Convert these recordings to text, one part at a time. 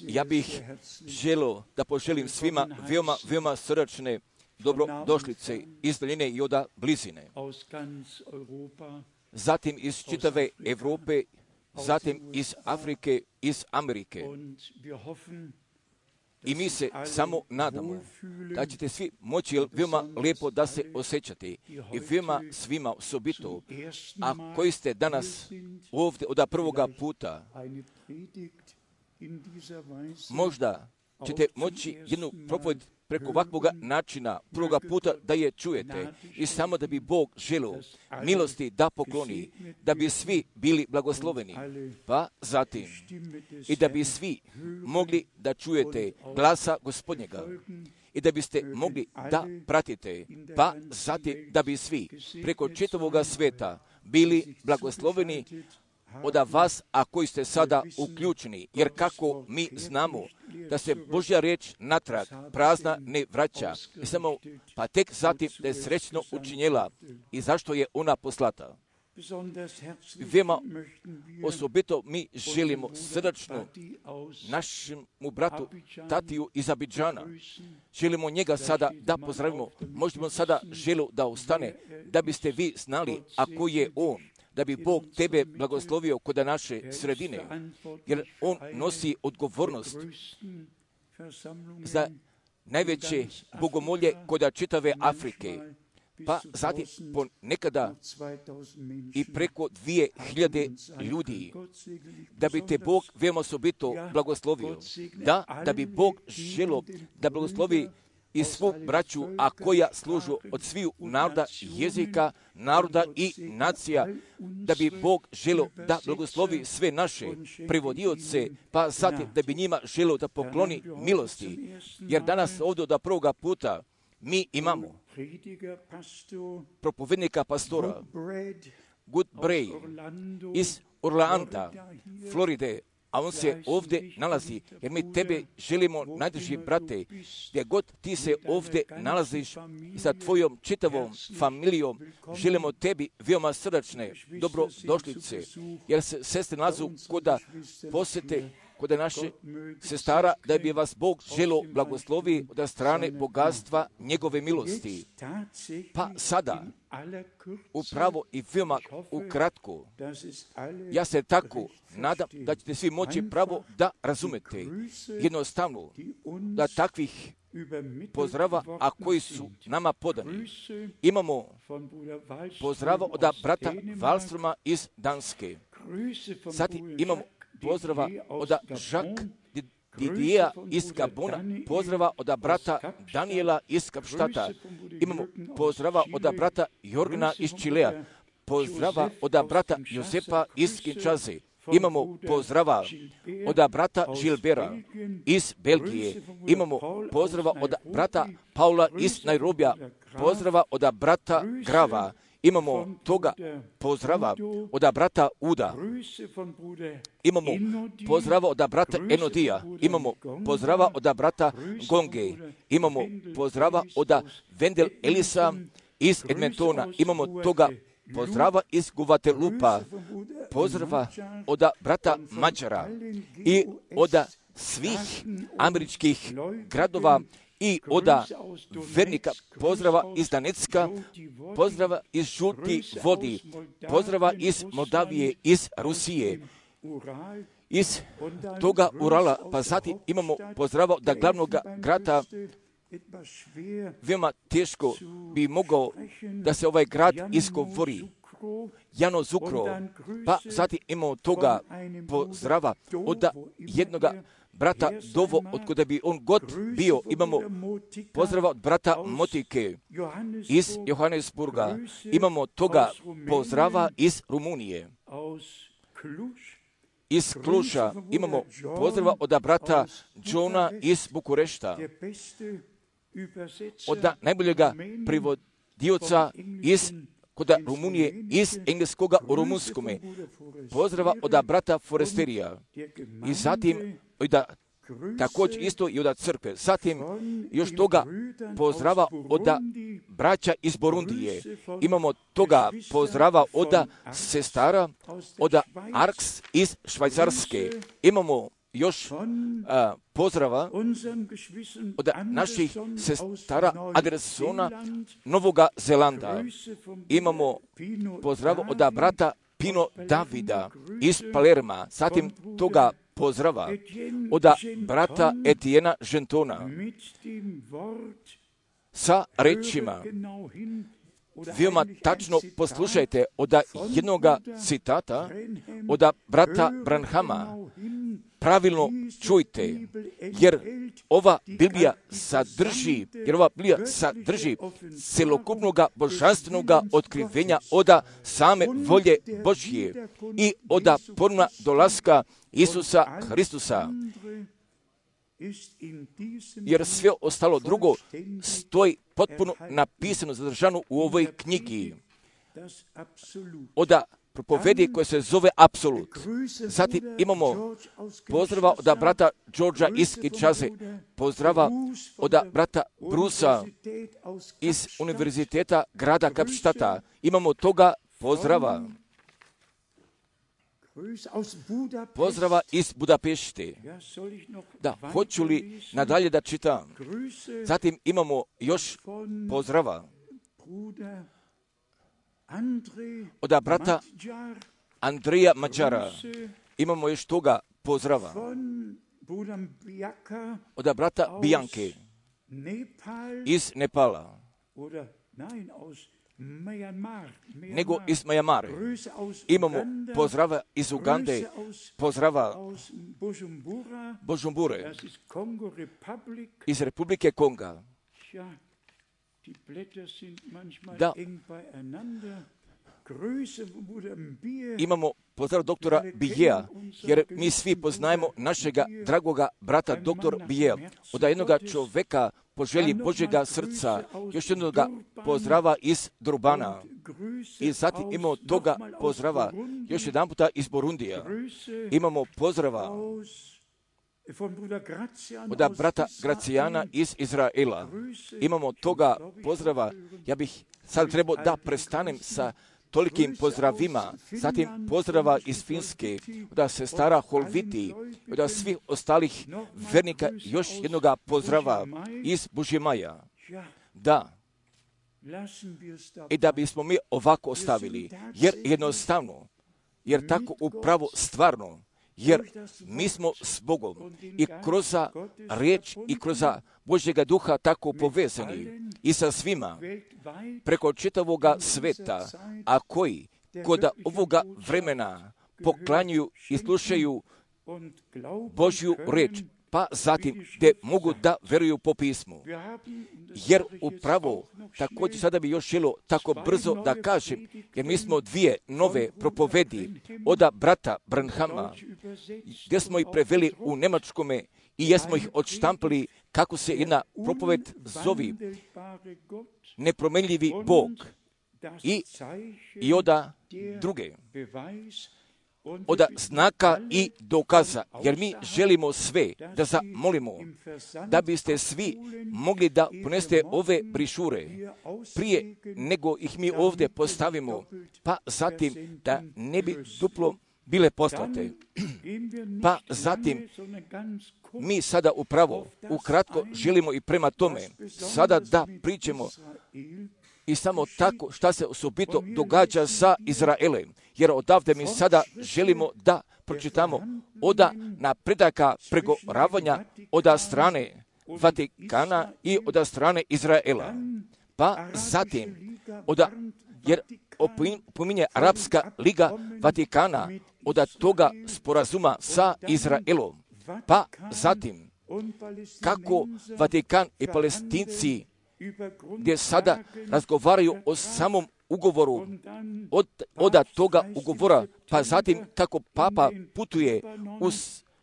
Ja bih želio da poželim svima veoma srdačne dobrodošlice iz daljine i od blizine. Zatim iz čitave Europe, zatim iz Afrike, iz Amerike. I mi se samo nadamo da ćete svi moći veoma lijepo da se osjećate i veoma svima osobito, a koji ste danas ovdje od prvoga puta, možda ćete moći jednu propoved preko ovakvog načina prvoga puta da je čujete i samo da bi Bog želio milosti da pokloni, da bi svi bili blagosloveni, pa zatim i da bi svi mogli da čujete glasa Gospodnjega i da biste mogli da pratite, pa zatim da bi svi preko čitavoga sveta bili blagosloveni od vas, a koji ste sada uključeni, jer kako mi znamo da se Božja riječ natrag prazna ne vraća, i samo pa tek zatim da je srećno učinjela i zašto je ona poslata. Veoma osobito mi želimo srdačno našemu bratu Tatiju iz Abidžana. Želimo njega sada da pozdravimo. Možemo sada želimo da ostane, da biste vi znali ako je on, da bi Bog tebe blagoslovio kod naše sredine, jer on nosi odgovornost za najveće bogomolje kod čitave Afrike, pa zatim ponekada i preko 2000 ljudi, da bi te Bog veoma osobito blagoslovio, da bi Bog želio da blagoslovi i svu braću, a koja služu od sviju naroda, jezika, naroda i nacija, da bi Bog želio da blagoslovi sve naše prevodioce, pa zatim da bi njima želio da pokloni milosti. Jer danas ovdje od prvoga puta mi imamo propovednika pastora Goodbray iz Orlanda, Floride, a on se ovdje nalazi, jer mi tebe želimo, najdrži brate, gdje god ti se ovdje nalaziš sa tvojom čitavom familijom, želimo tebi veoma srdačne dobrodošlice, jer se sestre nalazu koda posjete kod naše sestara, da bi vas Bog želio blagoslovi od strane bogatstva njegove milosti. Pa sada, upravo i veoma ukratko, ja se tako nadam da ćete svi moći pravo da razumete jednostavno da takvih pozdrava, a koji su nama podani. Imamo pozdrava od brata Wallstroma iz Danske. Zatim imamo pozdrava od Jacques Didija iz Gabona, pozdrava od brata Daniela iz Kapštata. Imamo pozdrava od brata Jorgena iz Čilea, pozdrava od brata Josepa iz Kinčaze. Imamo pozdrava od brata Gilbera iz Belgije. Imamo pozdrava od brata Paula iz Nairobija, pozdrava od brata Grava. Imamo toga pozdrava od brata Uda. Imamo pozdrava od brata Enodija. Imamo pozdrava od brata Gonge. Imamo pozdrava od Vendel Elisa iz Edmontona. Imamo toga pozdrava iz Guvatelupa. Pozdrava od brata Mađara i od svih američkih gradova i od vernika, pozdrava iz Danecka, pozdrava iz Žutih vodi, pozdrava iz Moldavije, iz Rusije, iz toga Urala, pa zatim imamo pozdrava od glavnog grada. Veoma teško bi mogao da se ovaj grad izgovori. Janozukro, pa zatim imamo toga pozdrava od jednoga brata Dovo, otkuda bi on god bio. Imamo pozdrava od brata Motike iz Johannesburga. Imamo toga pozdrava iz Rumunije. Iz Kluša imamo pozdrava od brata Johna iz Bukurešta. Od najboljega prevodioca iz kod Rumunije, iz engleskoga u rumunskome. Pozdrava od brata Foresterija. I zatim također isto i od crkve. Zatim još toga pozdrava od braća iz Borundije. Imamo toga pozdrava od sestara, od Arks iz Švajcarske. Imamo još pozdrava od naših sestara Andersona, Novoga Zelanda. Imamo pozdrav od brata Pino Davida iz Palerma, zatim toga pozdrava od brata Etiena Gentona sa rečima. Veoma tačno poslušajte od jednoga citata od brata Branhama. Pravilno čujte, jer ova Biblija sadrži celokupnog božanstvenog otkrivenja od same volje Božje i od ponovna dolaska Isusa Hristusa. Jer sve ostalo drugo stoji potpuno napisano, zadržano u ovoj knjigi. Od propovedi koja se zove Apsolut. Zatim imamo pozdrava od brata Georgea iz Kinshase, pozdrava od brata Brusa iz Univerziteta grada Kapštata. Imamo toga pozdrava. Pozdrava iz Budapešte. Da, hoću li nadalje da čitam? Zatim imamo još pozdrava od brata Andreja Mađara. Imamo još toga pozdrava od brata Bianke iz Nepala, nego iz Majamare. Imamo pozdrava iz Ugande, pozdrava Bujumbure, iz Republike Konga. Da, imamo pozdrav doktora Bijeja, jer mi svi poznajemo našega dragoga brata doktor Bijeja, od jednoga čoveka po želji Božjega srca, još jednoga pozdrava iz Durbana. I zatim imamo toga pozdrava još jedan puta iz Burundija. Imamo pozdrava od brata Gracijana iz Izraela. Imamo toga pozdrava. Ja bih sad trebao da prestanem sa tolikim pozdravima. Zatim pozdrava iz Finske, od sestara Holviti, od svih ostalih vernika još jednoga pozdrava iz Bužemaja. Da. I da bismo mi ovako ostavili, jer jednostavno, jer tako upravo stvarno, jer mi smo s Bogom i kroz riječ i kroz Božjega duha tako povezani i sa svima preko čitavoga sveta, a koji kod ovoga vremena poklanjuju i slušaju Božju riječ, pa zatim gdje mogu da veruju po pismu. Jer upravo, također sada bi još želio tako brzo da kažem, jer mi smo dvije nove propovedi od brata Branhama, gdje smo ih preveli u nemačkome i jesmo ih odštampali kako se jedna propoved zovi Nepromenljivi Bog i od druge. Od znaka i dokaza, jer mi želimo sve da zamolimo, da biste svi mogli da poneste ove brišure prije nego ih mi ovdje postavimo, pa zatim da ne bi duplo bile poslate. Pa zatim mi sada upravo, ukratko želimo i prema tome, sada da pričamo i samo tako šta se osobito događa sa Izraelem. Jer odavde mi sada želimo da pročitamo od napredaka pregoravanja od strane Vatikana i od strane Izraela. Pa zatim, jer pominje Arapska liga Vatikana od toga sporazuma sa Izraelom. Pa zatim, kako Vatikan i Palestinci gdje sada razgovaraju o samom ugovoru, od toga ugovora, pa zatim kako Papa putuje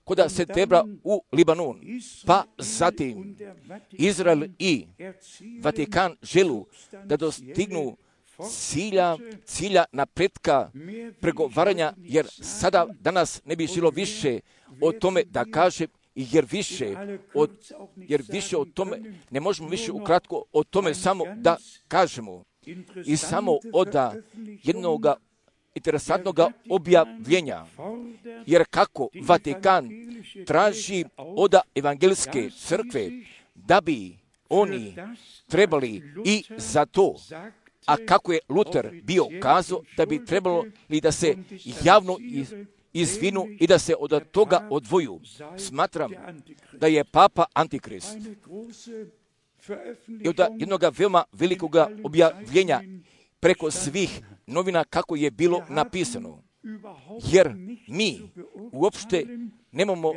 kod septembra u Libanon, pa zatim Izrael i Vatikan želu da dostignu cilja napretka pregovaranja, jer sada danas ne bi želo više o tome da kaže, jer više o tome, ne možemo više ukratko o tome samo da kažemo. I samo od interesantnog objavljenja. Jer kako Vatikan traži od evangeljske crkve da bi oni trebali i za to, a kako je Luter bio kazao da bi trebalo i da se javno izvinu i da se od toga odvoju. Smatram da je Papa Antikrist i od jednog veoma velikog objavljenja preko svih novina kako je bilo napisano. Jer mi uopšte nemamo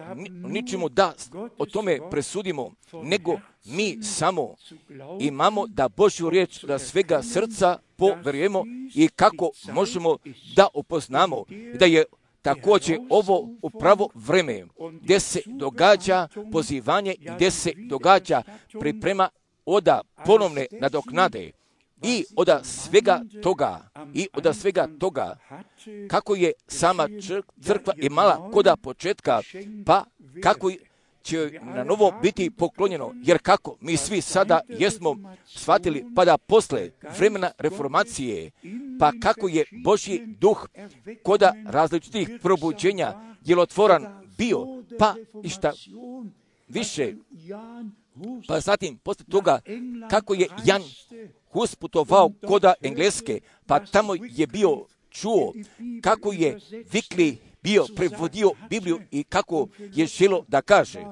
ničemu da o tome presudimo, nego mi samo imamo da Božju riječ da svega srca poverujemo i kako možemo da upoznamo da je također ovo upravo vreme gdje se događa pozivanje i gdje se događa priprema od ponovne nadoknade i od svega toga kako je sama crkva imala kod početka, pa kako će na novo biti poklonjeno, jer kako mi svi sada jesmo shvatili, pa da posle vremena reformacije, pa kako je Božji duh kod različitih probuđenja djelotvoran bio, pa i šta više, pa zatim posle toga kako je Jan Hus putovao kod Engleske, pa tamo je bio čuo kako je Wycliffe bio prevodio Bibliju i kako je želo da kaže.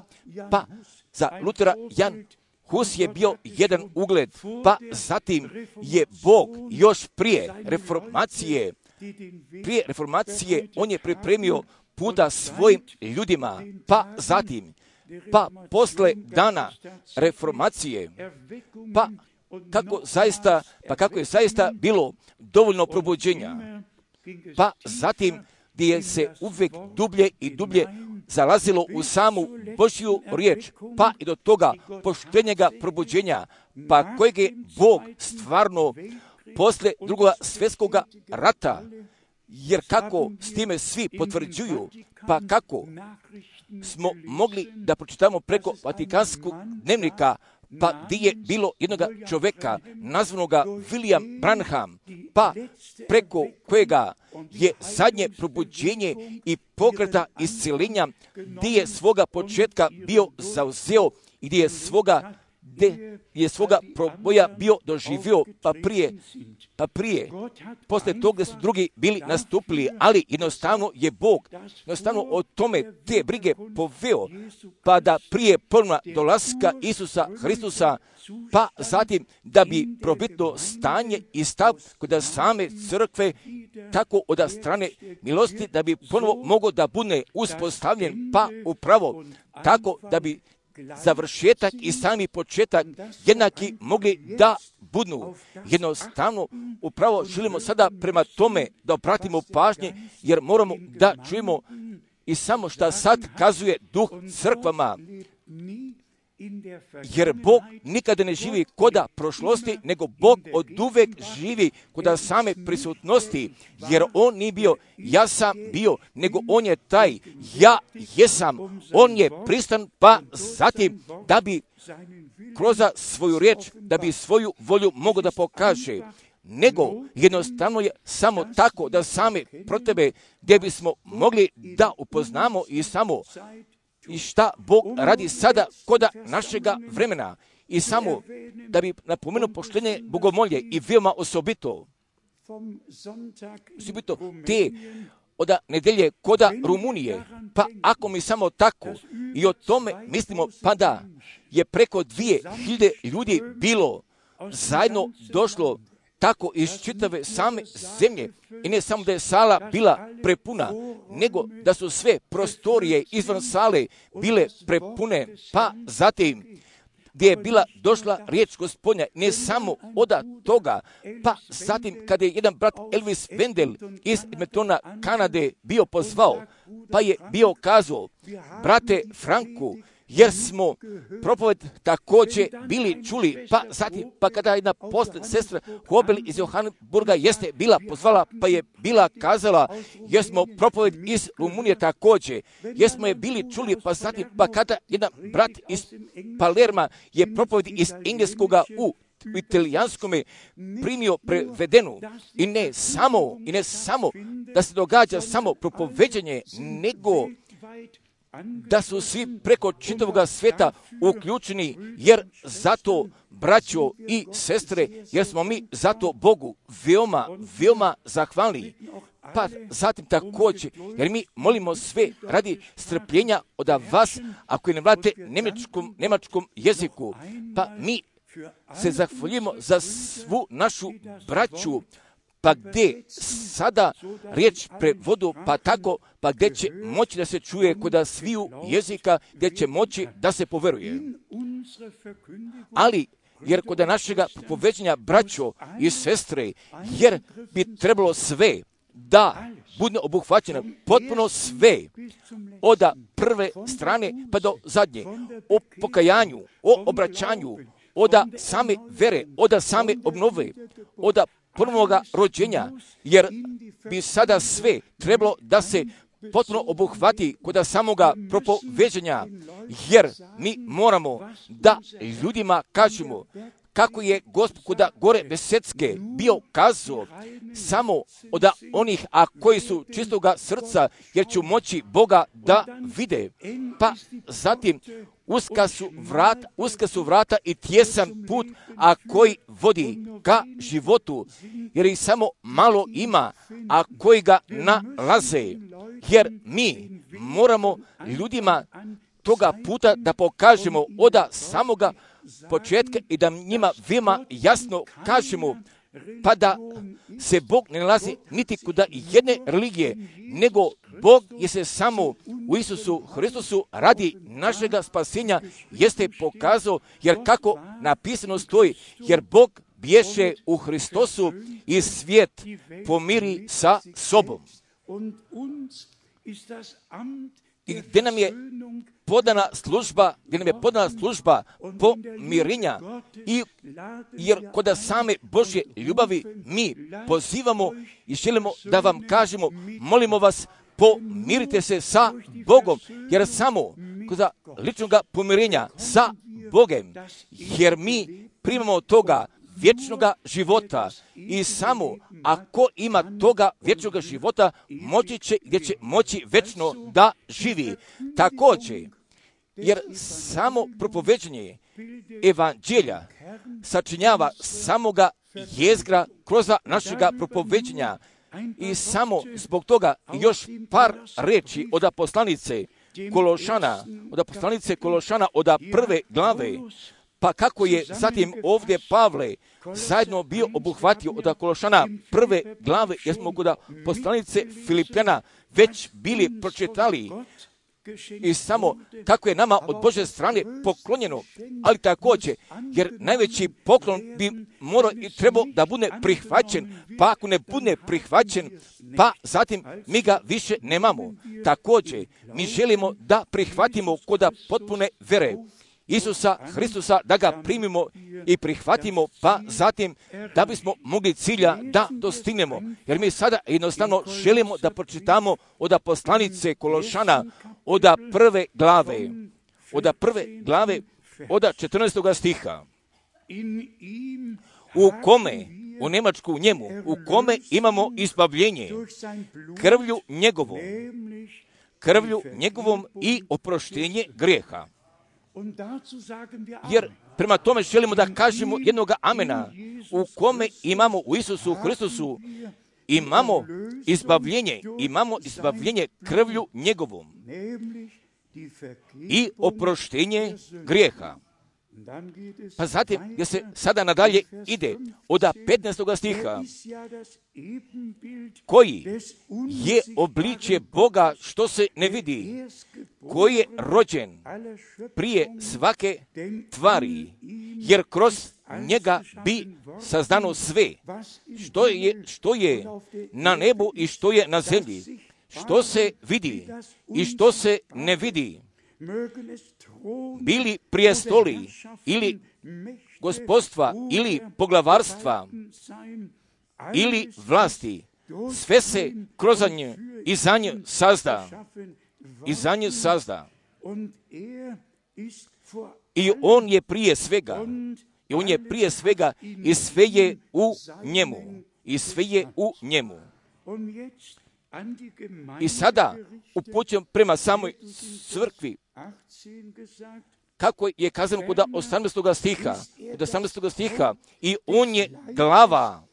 Pa za Lutera Jan Hus je bio jedan ugled, pa zatim je Bog još prije reformacije on je pripremio puta svojim ljudima, pa zatim, pa posle dana reformacije, kako je zaista bilo dovoljno probuđenja, pa zatim gdje se uvijek dublje i dublje zalazilo u samu Božju riječ, pa i do toga poštenjega probuđenja, pa kojeg je Bog stvarno posle drugog svjetskog rata, jer kako s time svi potvrđuju, pa kako smo mogli da pročitamo preko Vatikanskog dnevnika, pa gdje je bilo jednog čovjeka nazvanoga William Branham, pa preko kojega je zadnje probuđenje i pokreta isceljenja, gdje je svoga početka bio zauzeo i gdje je svoga proboja bio doživio, pa prije, posle toga su drugi bili nastupili, ali jednostavno je Bog o tome te brige poveo, pa da prije ponovna dolaska Isusa Hristusa, pa zatim da bi probitno stanje i stav kod same crkve tako od strane milosti da bi ponovo mogao da bude uspostavljen, pa upravo tako da bi završetak i sami početak jednaki mogli da budu. Jednostavno, upravo želimo sada prema tome da obratimo pažnje, jer moramo da čujemo i samo šta sad kazuje duh crkvama. Jer Bog nikada ne živi koda prošlosti, nego Bog oduvek živi koda same prisutnosti, jer On nije bio, ja sam bio, nego On je taj, ja jesam, On je pristan, pa zatim da bi kroz svoju riječ, da bi svoju volju mogao da pokaže, nego jednostavno je samo tako da same pro tebe, gdje bismo mogli da upoznamo i samo i šta Bog radi sada koda našega vremena. I samo da bi napomenuo poštenje bogomolje i veoma osobito te od nedelje koda Rumunije. Pa ako mi samo tako i o tome mislimo, pa da je preko 2000 ljudi bilo zajedno došlo tako iz čitave same zemlje, i ne samo da je sala bila prepuna, nego da su sve prostorije izvan sale bile prepune, pa zatim gdje je bila došla riječ Gospodnja, ne samo od toga, pa zatim kada je jedan brat Elvis Wendel iz Edmontona, Kanade, bio pozvao, pa je bio kazao, brate Franku, jer smo propoved također bili čuli, pa zatim, pa kada jedna sestra Hobel iz Johannesburga jeste bila pozvala, pa je bila kazala, jer smo propoved iz Rumunije također, jer smo je bili čuli, pa zatim, pa kada jedan brat iz Palerma je propoved iz Engleskoga u u italijanskome primio prevedenu i ne samo da se događa samo propoveđenje, nego da su svi preko čitavoga sveta uključeni, jer zato, braćo i sestre, jer smo mi zato Bogu veoma zahvalni. Pa zatim također, jer mi molimo sve radi strpljenja od vas, ako ne vladate njemačkom jeziku, pa mi se zahvaljujemo za svu našu braću, pa gdje sada riječ prevodu, pa tako, pa gdje će moći da se čuje kod sviju jezika, gdje će moći da se poveruje. Ali, jer kod našega propoveđenja, braćo i sestre, jer bi trebalo sve da bude obuhvaćeno, potpuno sve, od prve strane pa do zadnje, o pokajanju, o obraćanju, od same vere, od same obnove, od prvoga rođenja, jer bi sada sve trebalo da se potpuno obuhvati kod samoga propoveđenja, jer mi moramo da ljudima kažemo kako je Gospod kod gore Besedske bio kazao samo od onih, a koji su čistoga srca, jer će moći Boga da vide. Pa zatim uska su vrata i tjesan put, a koji vodi ka životu, jer ih samo malo ima, a koji ga nalaze. Jer mi moramo ljudima toga puta da pokažemo od samoga početka i da njima veoma jasno kažemo, pa da se Bog ne nalazi niti kod jedne religije, nego Bog je se samo u Isusu Hristusu radi našega spasenja jeste pokazao, jer kako napisano stoji, jer Bog bješe u Hristosu i svijet pomiri sa sobom. I gdje nam je podana služba pomirenja, i jer kod same Božje ljubavi mi pozivamo i želimo da vam kažemo, molimo vas, pomirite se sa Bogom, jer samo kod ličnog pomirenja sa Bogom, jer mi primamo toga vječnoga života, i samo ako ima toga vječnoga života, gdje će moći vječno da živi. Također, jer samo propoveđenje evanđelja sačinjava samoga jezgra kroz našega propoveđenja, i samo zbog toga još par reči od poslanice Kološana, od prve glave. Pa kako je zatim ovdje Pavle zajedno bio obuhvatio od Kološana prve glave, jer smo kod poslanice Filipljana već bili pročitali, i samo kako je nama od Božje strane poklonjeno, ali također, jer najveći poklon bi morao i trebao da bude prihvaćen, pa ako ne bude prihvaćen, pa zatim mi ga više nemamo. Također, mi želimo da prihvatimo kod potpune vere Isusa Hristusa, da ga primimo i prihvatimo, pa zatim da bismo mogli cilja da dostignemo. Jer mi sada jednostavno želimo da pročitamo od poslanice Kološana, od prve glave, od 14. stiha. U kome, u Njemačku njemu, u kome imamo izbavljenje krvlju njegovom i oproštenje grijeha. Jer prema tome želimo da kažemo jednoga amena, u kome imamo u Isusu Hristusu, imamo izbavljenje krvlju njegovom i oproštenje grijeha. Pa zatim, gdje se sada nadalje ide, od 15. stiha, koji je obličje Boga što se ne vidi, koji je rođen prije svake tvari, jer kroz njega bi sazdano sve, što je na nebu i što je na zemlji, što se vidi i što se ne vidi, bili prijestoli ili gospodstva ili poglavarstva ili vlasti, sve se kroz nje i za nje sazda. I on je prije svega I on je prije svega i sve je u njemu. I sve je u njemu. I sada upućujem prema samoj crkvi, kako je kazano kod 18. stiha. Kod 18. stiha. I on je glava.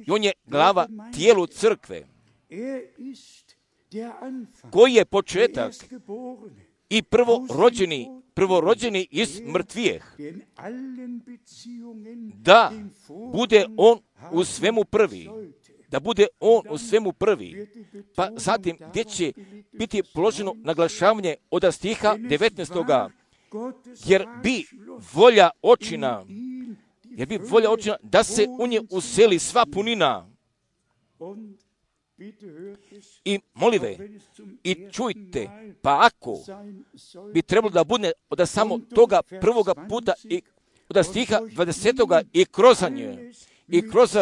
I on je glava tijelu crkve. Koji je početak i prvorođeni iz mrtvijeh, da bude on u svemu prvi. Da bude on u svemu prvi. Pa zatim gdje će biti položeno naglašavanje od stiha 19. Jer bi volja očina da se u nje useli sva punina. I molive, i čujte, pa ako bi trebalo da bude od samo toga prvoga puta i od stiha 20. i kroz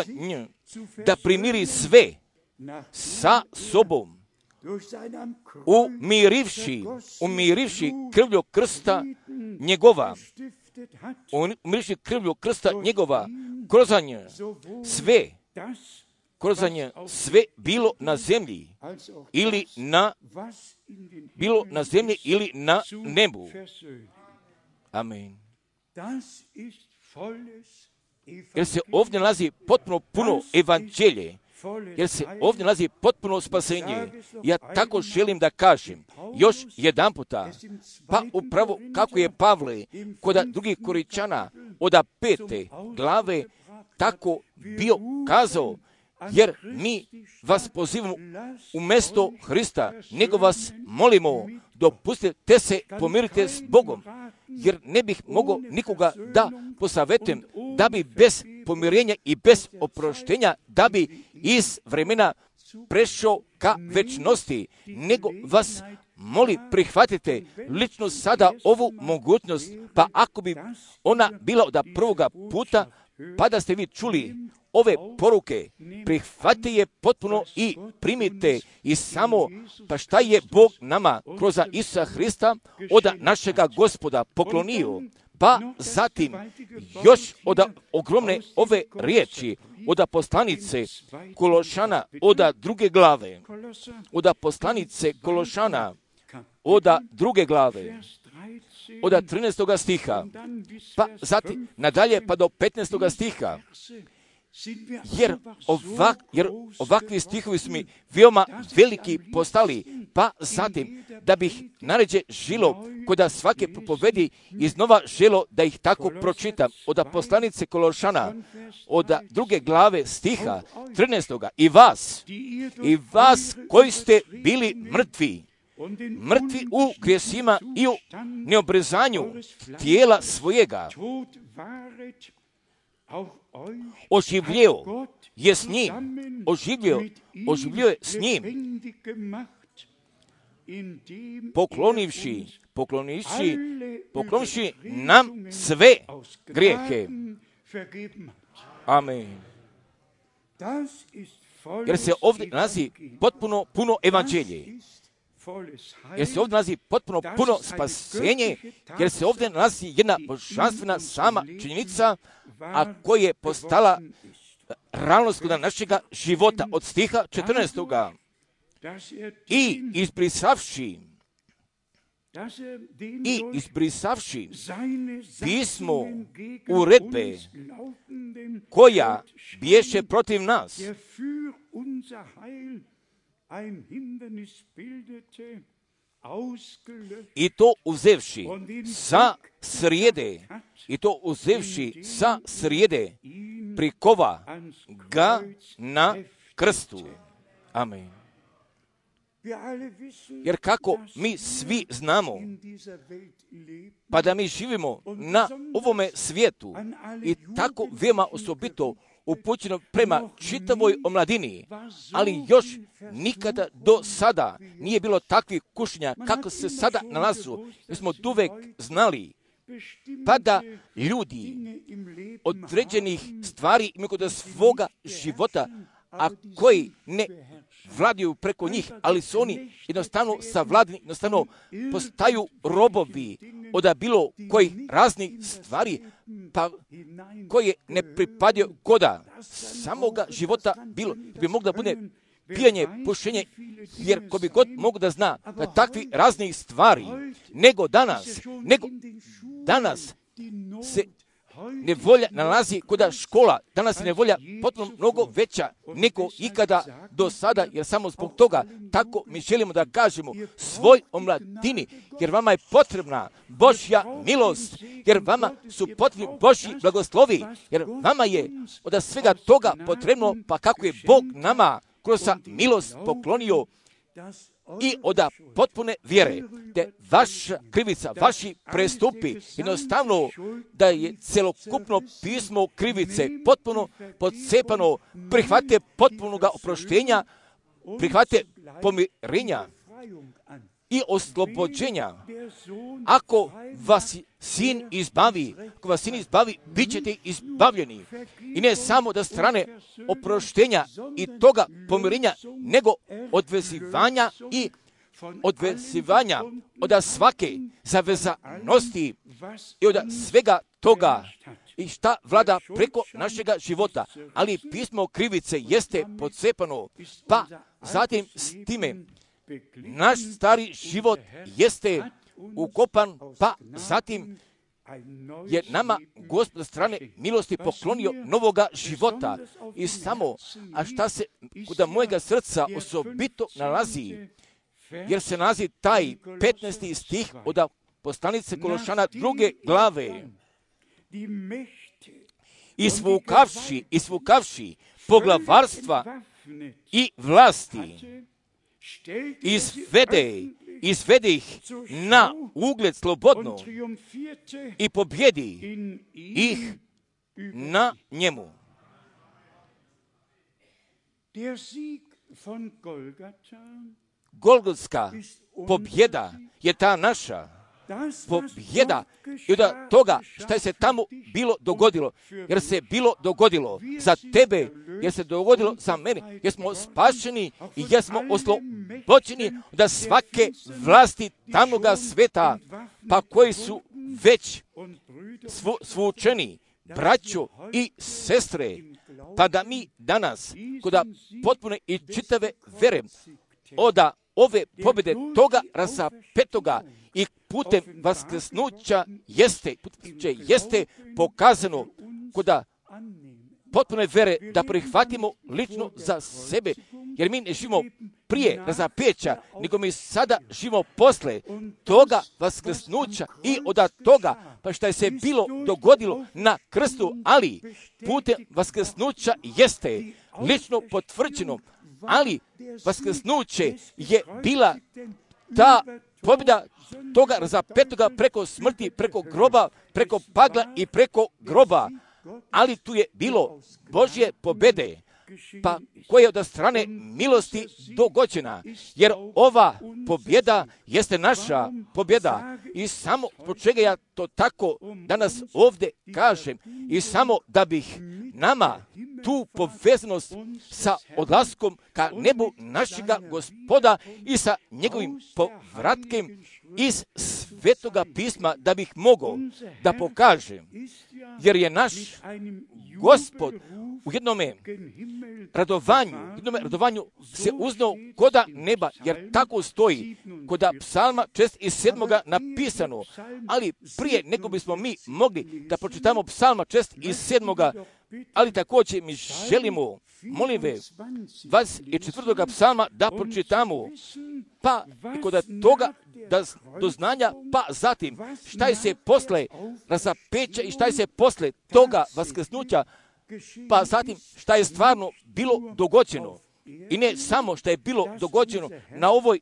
nje, da sve sa sobom, umirivši krvlju krsta njegova, sve bilo na zemlji ili na nebu. Amen. Jer se ovdje nalazi potpuno puno evanđelje, jer se ovdje nalazi potpuno spasenje. Ja tako želim da kažem još jedan puta, pa upravo kako je Pavle kod drugih Korinčana od 5. glave tako bio kazao, jer mi vas pozivamo umjesto Hrista, nego vas molimo, dopustite se pomirite s Bogom, jer ne bih mogao nikoga da posavetujem, da bi bez pomirenja i bez oproštenja, da bi iz vremena prešao ka večnosti, nego vas moli prihvatite lično sada ovu mogućnost, pa ako bi ona bila od prvoga puta, pa da ste vi čuli ove poruke, prihvatite je potpuno i primite i samo, pa šta je Bog nama kroz Isusa Hrista od našega Gospoda poklonio, pa zatim još od ogromne ove riječi, od poslanice Kološana, od 2. glave, od poslanice Kološana, od 2. glave, od 13. stiha, pa zatim nadalje pa do 15. stiha. Jer ovakvi stihovi su mi veoma veliki postali, pa zatim da bih naređe žilo kod svake propovedi iznova želo da ih tako pročitam od poslanice Kološana od 2. glave stiha 13. I vas koji ste bili mrtvi u grijesima i u neobrezanju tijela svojega, oživljio je s njim, poklonivši nam sve grijehe. Amen. Jer se ovdje nalazi potpuno puno evanđelje. Jer se ovdje nalazi potpuno puno spasenje, jer se ovdje nalazi jedna božanstvena sama činjenica, a koja je postala realnost kod našega života od stiha 14. I izbrisavši pismo uredbe koja biješe protiv nas, i to uzevši sa srijede, prikova ga na krstu. Amen. Jer kako mi svi znamo, pa da mi živimo na ovome svijetu i tako veoma osobito upućeno prema čitavoj omladini, ali još nikada do sada nije bilo takvih kušnja kako se sada nalazu. Mi smo uvek znali pa da ljudi određenih stvari imaju kod svoga života, a koji ne vladaju preko njih, ali su oni jednostavno savladani, jednostavno postaju robovi od bilo kojih raznih stvari, pa koje ne pripadaju Goda, samoga života bilo, bi moglo da bude pijanje, pušenje, jer ko bi god mogu da zna da takvi raznih stvari, nego danas se nevolja nalazi kod škola, danas je nevolja potpuno mnogo veća nego ikada do sada, jer samo zbog toga tako mi želimo da kažemo svoj omladini, jer vama je potrebna Božja milost, jer vama su potrebni Božji blagoslovi, jer vama je od svega toga potrebno, pa kako je Bog nama kroz milost poklonio i od potpune vjere, te vaša krivica, vaši prestupi, jednostavno da je celokupno pismo krivice potpuno podcepano, prihvate potpunoga oproštenja, prihvate pomirenja i oslobođenja. Ako vas sin izbavi, bit ćete izbavljeni. I ne samo da strane oproštenja i toga pomirenja, nego odvezivanja i odvezivanja od svake zavezanosti i od svega toga i šta vlada preko našega života. Ali pismo krivice jeste podcepano, pa zatim s time naš stari život jeste ukopan, pa zatim je nama Gospod strane milosti poklonio novoga života. I samo, a šta se kod mojega srca osobito nalazi, jer se nalazi taj 15. stih od poslanice Kološana 2. glave. Isvukavši poglavarstva i vlasti, izvede ih na ugled slobodno i pobjedi ih na njemu. Golgotska pobjeda je ta naša pobjeda i od toga što je se tamo bilo dogodilo, jer se bilo dogodilo za tebe, jer se dogodilo za mene, jer smo spašeni i jer smo oslobođeni od svake vlasti tamnoga sveta, pa koji su već svučeni, braćo i sestre, pa da mi danas kod potpune i čitave vere od ove pobjede toga razapetoga i putem vaskrsnuća jeste pokazano kod potpune vere da prihvatimo lično za sebe, jer mi ne živimo prije razapeća, nego mi sada živimo posle toga vaskrsnuća i od toga, pa što je se bilo dogodilo na krstu, ali putem vaskrsnuća jeste lično potvrđeno, ali vaskrsnuće je bila ta pobjeda toga razapetoga preko smrti, preko groba, preko pagla i preko groba, ali tu je bilo Božje pobjede, pa koja je od strane milosti dogođena, jer ova pobjeda jeste naša pobjeda i samo po čega ja to tako danas ovdje kažem i samo da bih nama tu povezanost sa odlaskom ka nebu našega Gospoda i sa njegovim povratkem iz Svetoga pisma da bih mogao da pokažem, jer je naš Gospod u jednome radovanju se uznao koda neba, jer tako stoji koda psalma 67. napisano, ali prije nego bismo mi mogli da pročitamo psalma 67. ali također mi želimo, molim vas, 24. psalma da pročitamo, pa i kod toga do znanja, pa zatim šta je se posle razapeća i šta je se posle toga vaskrsnuća, pa zatim šta je stvarno bilo dogođeno. I ne samo što je bilo dogođeno na ovoj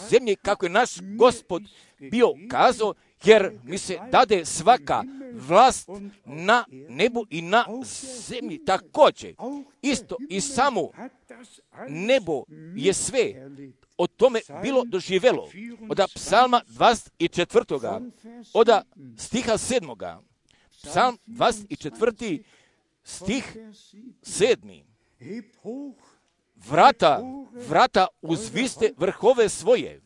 zemlji, kako je naš Gospod bio kazao, jer mi se dade svaka vlast na nebu i na zemlji također. Isto i samo nebo je sve o tome bilo doživjelo. Od psalma 24. od stiha 7. Psalm 24. stih 7. Vrata uzviste vrhove svoje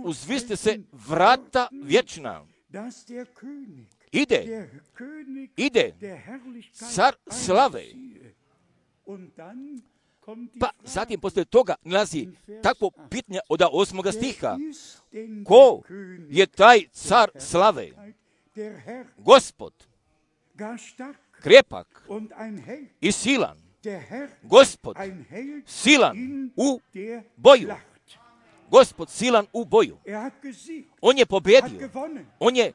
uzvisite se vrata vječna. Ide car slave. Pa zatim poslije toga nalazi takvo pitanje od 8. stiha. Ko je taj car slave? Gospod, krepak i silan. Gospod, silan u boju. Gospod, silan u boju. On je pobjedio. On je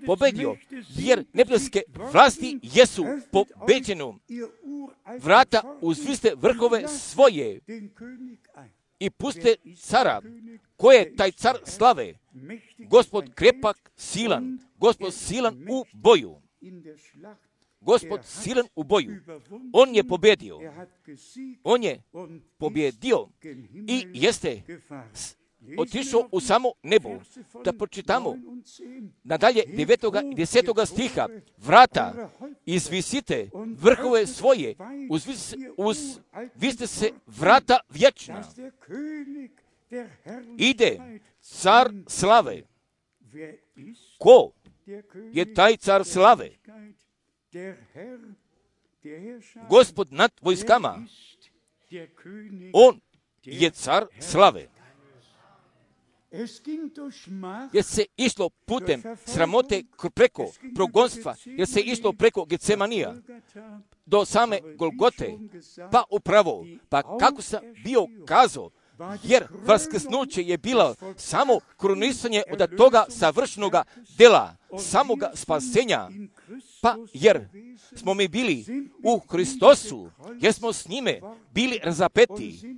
pobjedio, jer nebeske vlasti jesu pobeđene. Vrata uzviste vrhove svoje i puste cara. Ko je taj car slave? Gospod krepak, silan. Gospod silan u boju. Gospod silan u boju. On je pobjedio. On je pobjedio i jeste otišao u samo nebo. Da pročitamo nadalje 9. i 10. stiha. Vrata, izvisite vrhove svoje, uzvisite se vrata vječna. Ide car slave. Ko je taj car slave? Gospod nad vojskama. On je car slave. Jer se išlo putem sramote preko progonstva, jer se išlo preko Getsemanija do same Golgote, pa upravo, pa kako sam bio kazao, jer vaskrsnuće je bilo samo krunisanje od toga savršenoga dela, samoga spasenja, pa jer smo mi bili u Hristosu, jer smo s njime bili razapeti,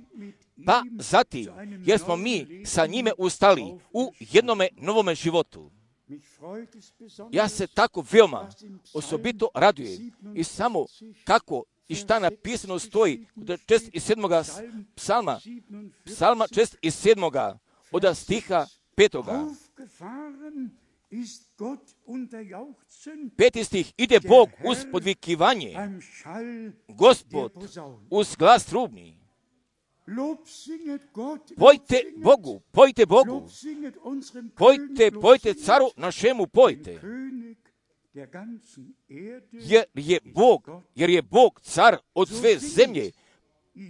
pa zatim, jer smo mi sa njime ustali u jednome novome životu. Ja se tako veoma osobito radujem i samo kako i šta napisano stoji od 47. psalma 47. od stiha 5. 5. stih, ide Bog uz podvikivanje, Gospod uz glas trubni. Pojte Bogu, pojte caru našemu, pojte. Jer je Bog car od sve zemlje.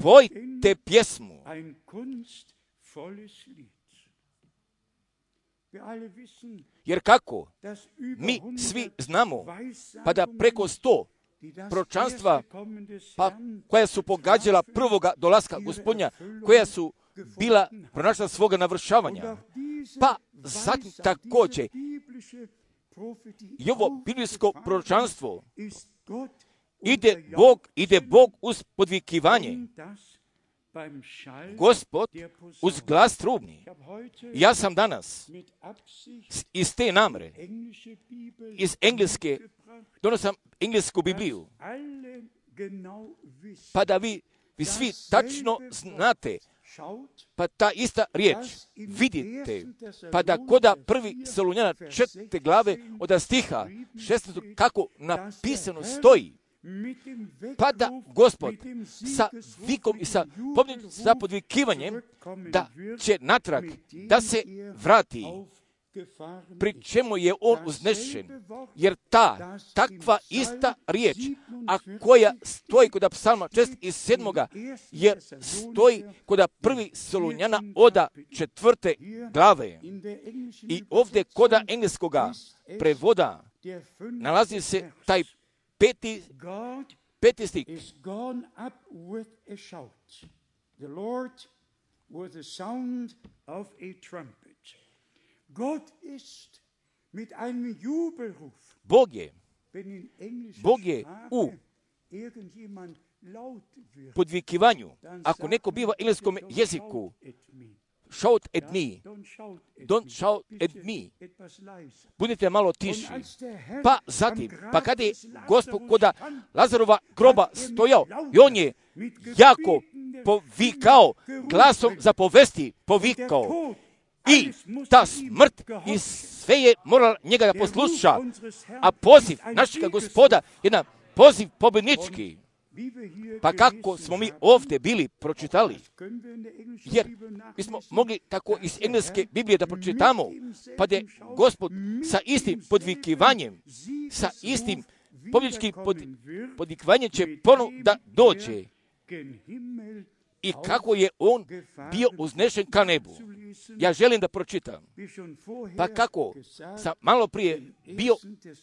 Pojte pjesmu. Jer kako mi svi znamo, pa da preko 100 proročanstva, pa koja su pogađala prvoga dolaska Gospodnja, koja su bila pronašla svoga navršavanja, pa zatim također i ovo biblijsko proročanstvo, ide Bog uz podvikivanje, Gospod uz glas trubni. Ja sam danas iz te namre, iz engleske, donosam englesku Bibliju, pa da vi svi tačno znate, pa ta ista riječ vidite, pa da koda 1. Salonjana 4. glave od stiha 16. kako napisano stoji, pa da Gospod sa vikom i sa podvikivanjem da će natrag da se vrati, pri čemu je on uznešen, jer takva ista riječ, a koja stoji kod psalma 47. jer stoji kod 1. Salonjana od 4. glave. I ovdje kod engleskoga prevoda nalazi se taj 5. stih. The Lord with the sound of a trumpet. Gott ist mit einem Jubelruf. Bog je u podvikivanju. Ako neko biva u engleskom jeziku, shout at me, don't shout at me, budite malo tiši. Pa zatim, pa kada je Gospod koda Lazarova groba stojao i on je jako povikao, glasom zapovesti povikao, i ta smrt i sve je morala njega da posluša, a poziv našega Gospoda je na poziv pobjednički. Pa kako smo mi ovdje bili pročitali? Jer mi smo mogli tako iz engleske Biblije da pročitamo, pa da je Gospod sa istim podvikivanjem, sa istim pobjedničkim podvikivanjem će ponovo da dođe. I kako je on bio uznešen ka nebu. Ja želim da pročitam. Pa kako sam malo prije bio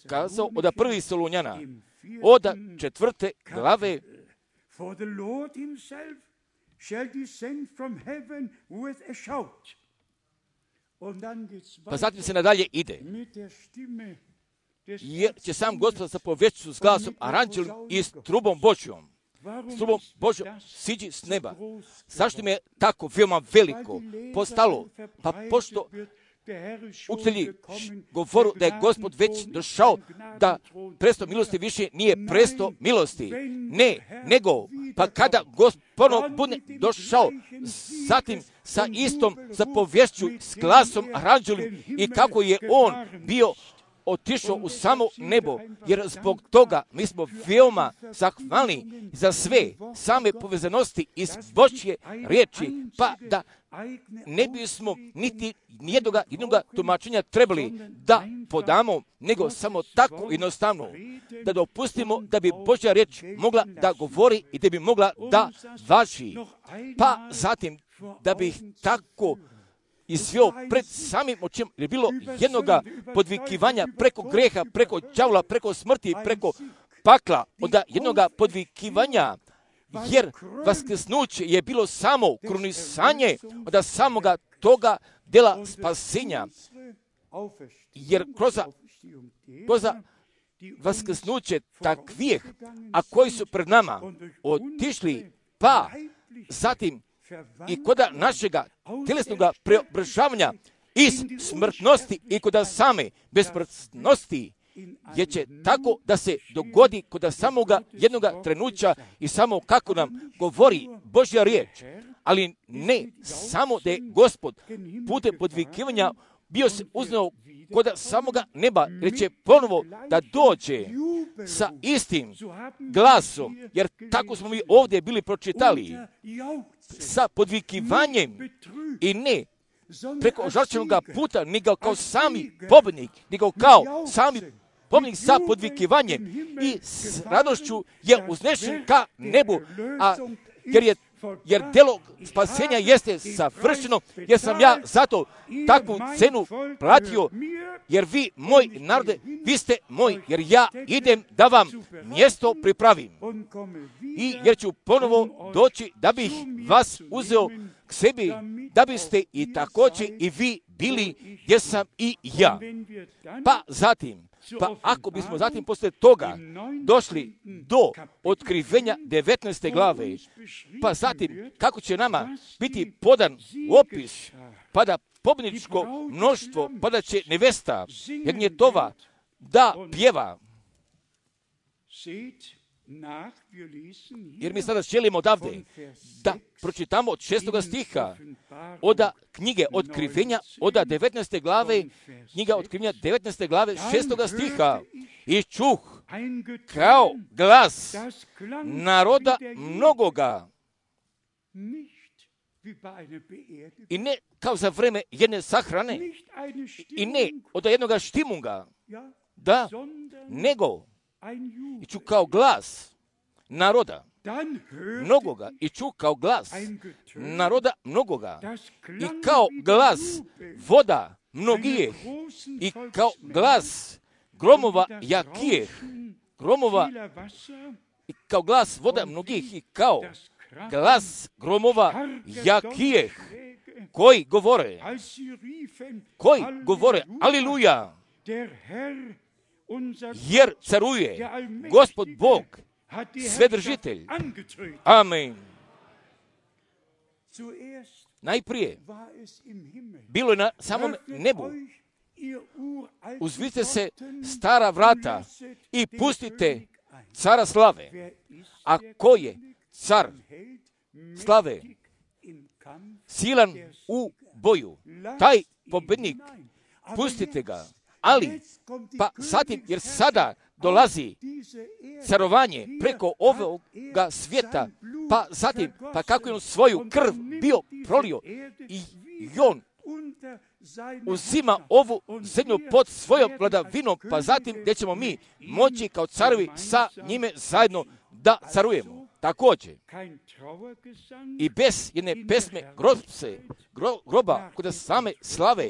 kazao od 1. Solunjana, od 4. glave, pa zatim se nadalje ide. Jer će sam Gospod zapovješću s glasom aranđelim i s trubom Božjom. S trubom Božjom siđi s neba. Zašto mi je tako veoma veliko postalo? Pa pošto učitelji govoru da je Gospod već došao, da presto milosti više nije presto milosti. Ne, nego, pa kada Gospod ponovo bude došao, zatim sa istom zapovješću s glasom aranđelim i kako je on bio otišao u samo nebo, jer zbog toga mi smo veoma zahvalni za sve same povezanosti iz Božje riječi, pa da ne bismo niti jednoga tumačenja trebali da podamo, nego samo tako jednostavno da dopustimo da bi Božja riječ mogla da govori i da bi mogla da važi. Pa zatim da bi tako izveo pred samim očima, jer je bilo jednoga podvikivanja preko greha, preko đavola, preko smrti, preko pakla, onda jednoga podvikivanja, jer vaskrsnuće je bilo samo krunisanje od samoga toga dela spasenja, jer kroz vaskrsnuće takvih, a koji su pred nama otišli, pa zatim i koda našega tjelesnoga preobražavanja iz smrtnosti i koda same besmrtnosti, jer će tako da se dogodi koda samoga jednoga trenuća i samo kako nam govori Božja riječ, ali ne samo da je Gospod putem podvikivanja bio se uznao koda samoga neba, jer će ponovo da dođe sa istim glasom, jer tako smo mi ovdje bili pročitali, sa podvikivanjem i ne preko žrtvenog puta, nego kao sami pobjednik, nego kao sami pobjednik sa podvikivanjem i s radošću je uznešen ka nebu, jer delo spasenja jeste savršeno, jer sam ja zato takvu cenu platio, jer vi, moj narode, vi ste moj, jer ja idem da vam mjesto pripravim. I jer ću ponovo doći da bih vas uzeo k sebi, da biste i također i vi bili gdje sam i ja. Pa zatim, ako bismo zatim poslije toga došli do otkrivenja 19. glave, pa zatim kako će nama biti podan opis, pa da pobjedničko mnoštvo, pa da će nevesta Jagnjetova da pjeva. Jer mi sada želimo odavde da pročitamo od 6. stiha od knjige Otkrivenja, od 19. glave, knjiga Otkrivenja 19. glave 6. stiha. I čuh kao glas naroda mnogoga. I ne kao za vreme jedne sahrane. I ne od jednoga štimunga. Da, nego i čuh kao glas naroda mnogoga i čuh kao glas naroda mnogoga i kao glas voda mnogijeh i kao glas gromova jakijeh, gromova i kao glas voda mnogih i kao glas gromova jakijeh, koji govore aleluja, jer caruje Gospod Bog, Svedržitelj. Amen. Najprije bilo je na samom nebu. Uzvite se stara vrata i pustite cara slave. A ko je car slave? Silan u boju. Taj pobjednik, pustite ga. Ali, pa zatim, jer sada dolazi carovanje preko ovoga svijeta, pa zatim, pa kako je on svoju krv bio prolio i on uzima ovu zemlju pod svojom vladavinom, pa zatim gdje ćemo mi moći kao carovi sa njime zajedno da carujemo. Također, i bez jedne pesme groba kod same slave,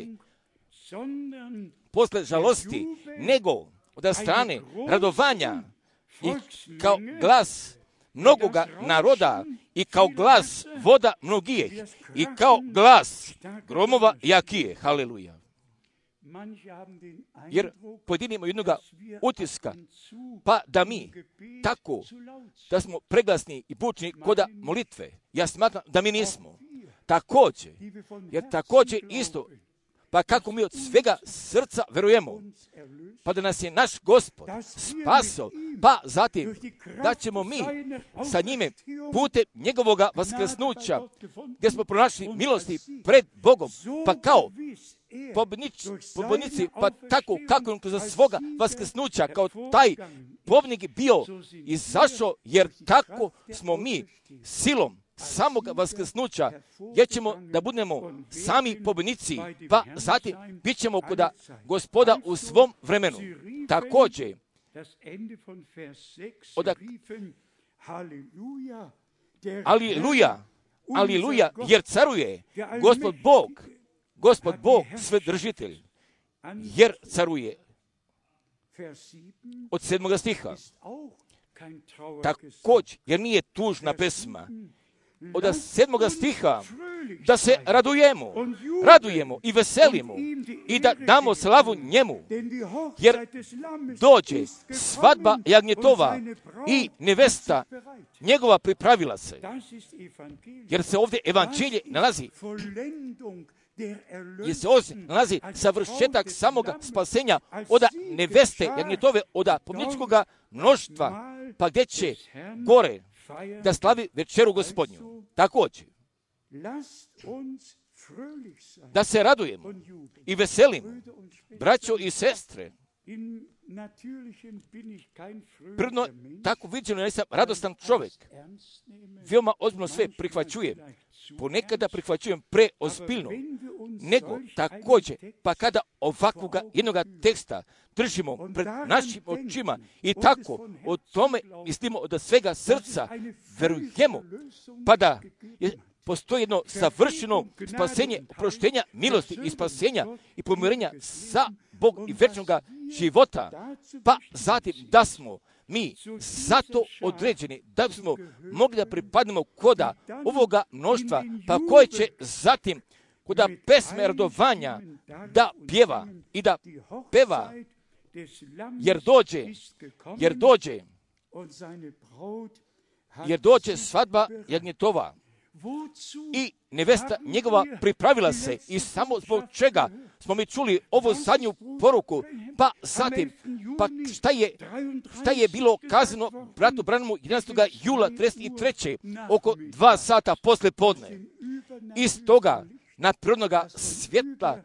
posle žalosti, nego od strane radovanja i kao glas mnogoga naroda i kao glas voda mnogijeh i kao glas gromova jakije. Haleluja. Jer pojedini imaju jednoga utiska, pa da mi tako, da smo preglasni i bučni koda molitve. Ja smatram da mi nismo. Također, jer također isto, pa kako mi od svega srca verujemo, pa da nas je naš Gospod spaso, pa zatim da ćemo mi sa njime putem njegovoga vaskrsnuća, gdje smo pronašli milosti pred Bogom, pa kao pobjednici, pa tako kako on kroz svoga vaskrsnuća, kao taj pobjednik bio izašao, jer tako smo mi silom samog vaskrsnuća, jer ćemo da budemo sami pobjednici, pa zatim bit ćemo kod Gospoda u svom vremenu. Također, Aleluja, aleluja, jer caruje Gospod Bog svedržitelj, jer caruje. Od 7. stiha. Također, jer nije tužna pesma. Od 7. stiha, da se radujemo i veselimo i da damo slavu njemu, jer dođe svadba jagnjetova i nevesta njegova pripravila se. Jer se ovdje evanđelje nalazi, jer se ovdje nalazi savršetak samoga spasenja od neveste jagnjetove, od pobjedničkoga mnoštva, pa gdje će gore da slavi večeru Gospodnju. Također, da se radujemo i veselimo, braćo i sestre. Prirodno, tako viđeno, ja nisam radostan čovjek. Veoma ozbiljno sve prihvaćujem. Ponekada prihvaćujem preozbiljno. Nego također, pa kada ovakvoga jednoga teksta držimo pred našim očima i tako o tome mislimo od svega srca verujemo, pa da postoji jedno savršeno spasenje, oproštenja, milosti i spasenja i pomirenja sa Bog i večnoga života, pa zatim da smo mi zato određeni, da bismo mogli da pripadnemo koda ovoga mnoštva, pa koje će zatim koda pesme radovanja da pjeva i da peva, jer dođe svadba jagnjetova i nevesta njegova pripravila se, i samo zbog čega smo mi čuli ovu zadnju poruku, pa zatim, pa šta je bilo kazano bratu Branhamu 11. jula 33. oko 2 sata posle podne. Iz toga nadprirodnoga svjetla,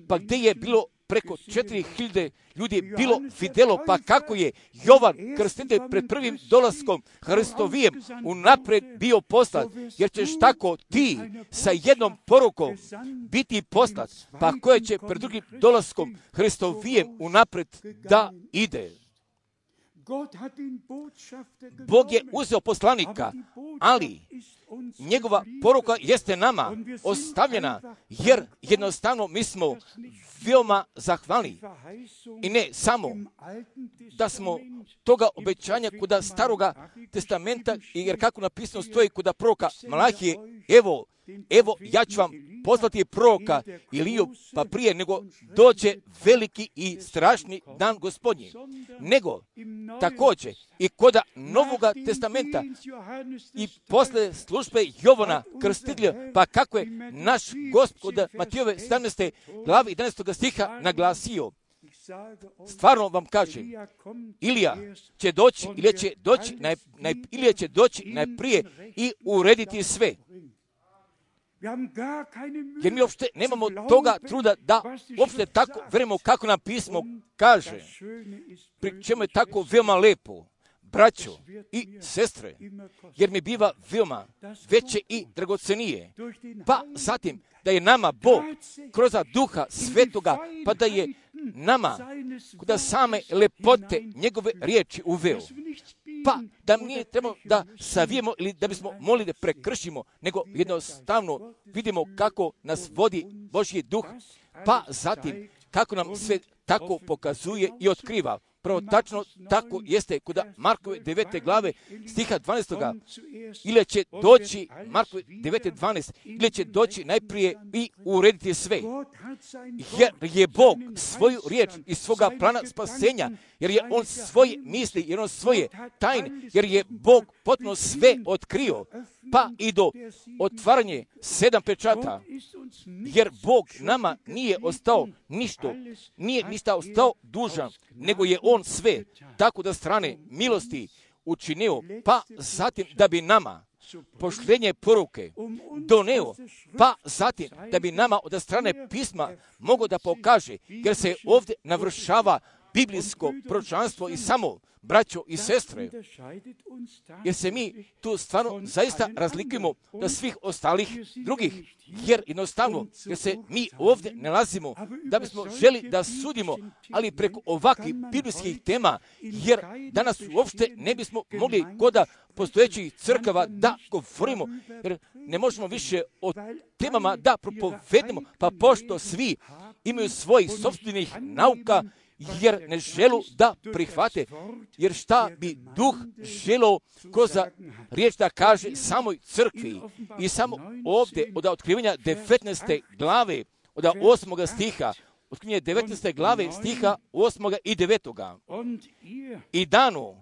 pa gdje je bilo preko 4.000 ljudi bilo vidjelo, pa kako je Jovan Krstitelj pred prvim dolaskom Hristovijem unaprijed bio poslat, jer ćeš tako ti sa jednom porukom biti poslat, pa koje će pred drugim dolaskom Hristovijem unaprijed da ide. Bog je uzeo poslanika, ali njegova poruka jeste nama ostavljena, jer jednostavno mi smo veoma zahvalni. I ne samo da smo toga obećanja kod staroga testamenta, jer kako napisano stoji kod proroka Malahije, evo ja ću vam poslati proroka Iliju, pa prije nego dođe veliki i strašni dan Gospodnji. Nego također i kod Novoga testamenta i posle službe Jovana Krstitelja, pa kako je naš Gospod Matijove 17. glavi 11. stiha naglasio. Stvarno vam kažem, Ilija će doći najprije i urediti sve. Jer mi uopšte nemamo toga truda da uopšte tako verujemo kako nam pismo kaže. Pri čemu je tako veoma lepo, braćo i sestre, jer mi biva veoma veće i dragocenije. Pa zatim da je nama Bog kroz Duha Svetoga, pa da je nama kod same lepote njegove riječi uveo. Pa da nije trebalo da savijemo ili da bismo molili da prekršimo, nego jednostavno vidimo kako nas vodi Božji duh, pa zatim kako nam sve tako pokazuje i otkriva. Prvo tačno tako jeste kod Markove 9. glave stiha 12. Ili će doći Markove 9.12. ili će doći najprije i urediti sve. Jer je Bog svoju riječ i svoga plana spasenja, jer je On svoje misli, jer On svoje tajne, jer je Bog potpuno sve otkrio, pa i do otvaranje 7 pečata, jer Bog nama nije ostao ništa ostao dužan, nego je On sve, tako da strane milosti učinio, pa zatim da bi nama poštenje poruke doneo, pa zatim da bi nama od strane pisma mogo da pokaže, jer se ovdje navršava biblijsko proročanstvo i samo, braćo i sestre, jer se mi tu stvarno zaista razlikujemo od svih ostalih drugih, jer jednostavno, jer se mi ovdje nalazimo da bismo želi da sudimo, ali preko ovakvih biblijskih tema, jer danas uopšte ne bismo mogli kod postojećih crkava da govorimo, jer ne možemo više o temama da propovedemo, pa pošto svi imaju svojih sopstvenih nauka, jer ne želu da prihvate, jer šta bi duh želeo kroz riječ da kaže samoj crkvi. I samo ovdje od otkrivanja 19. glave, od 8. stiha, otkrivanje 19. glave stiha 8. i 9. I dano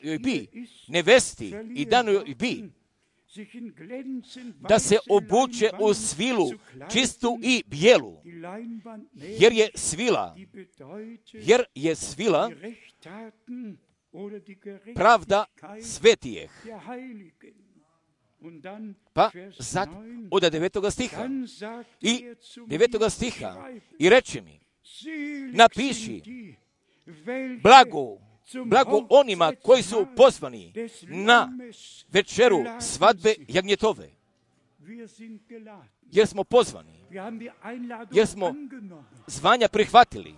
joj bi, nevesti, i dano joj bi, da se obuče u svilu, čistu i bijelu, jer je svila pravda svetijeh. Pa zatim od 9. stiha i 9. stiha i reče mi, napiši blago onima koji su pozvani na večeru svadbe jagnjetove. Jer smo pozvani, jer smo zvanja prihvatili,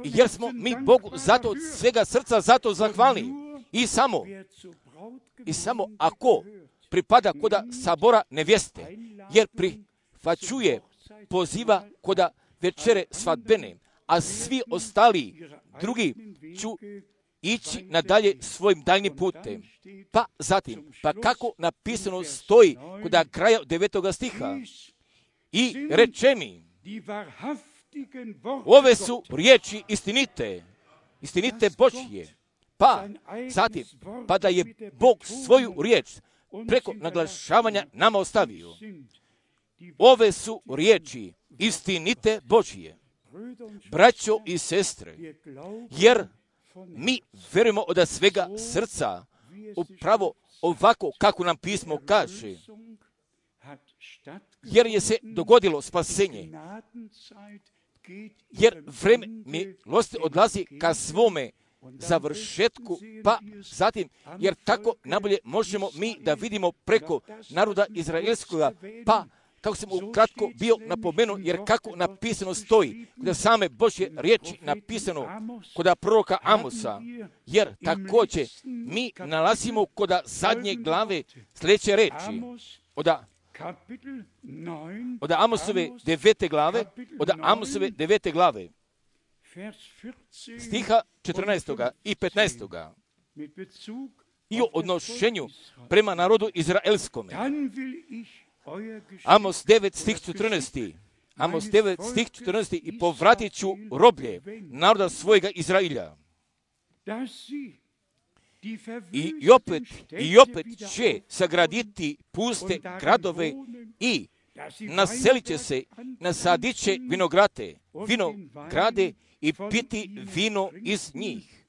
jer smo mi Bogu zato od svega srca zato zahvalni. I samo ako pripada koda sabora nevjeste, jer prihvaćuje poziva koda večere svadbene, a svi ostali drugi ću ići nadalje svojim daljnim putem. Pa zatim, pa kako napisano stoji kod kraja 9. stiha, i reče mi, ove su riječi istinite Božje. Pa zatim, pa da je Bog svoju riječ preko naglašavanja nama ostavio. Ove su riječi istinite Božje. Braćo i sestre, jer mi verujemo od svega srca upravo ovako kako nam pismo kaže, jer je se dogodilo spasenje, jer vreme milosti odlazi ka svome završetku, pa zatim, jer tako najbolje možemo mi da vidimo preko naroda izraelskoga, pa kako sam ukratko bio napomenuo, jer kako napisano stoji, kod same Božje riječi napisano kod proroka Amosa, jer također mi nalazimo kod zadnje glave sljedeće reči, od Amosove 9. glave, stiha 14. i 15. i o odnošenju prema narodu izraelskome. Amos 9 stih 14. I povratit ću roblje naroda svojega Izrailja. I opet će sagraditi puste gradove i naselit će se, nasadit će vinograde i piti vino iz njih.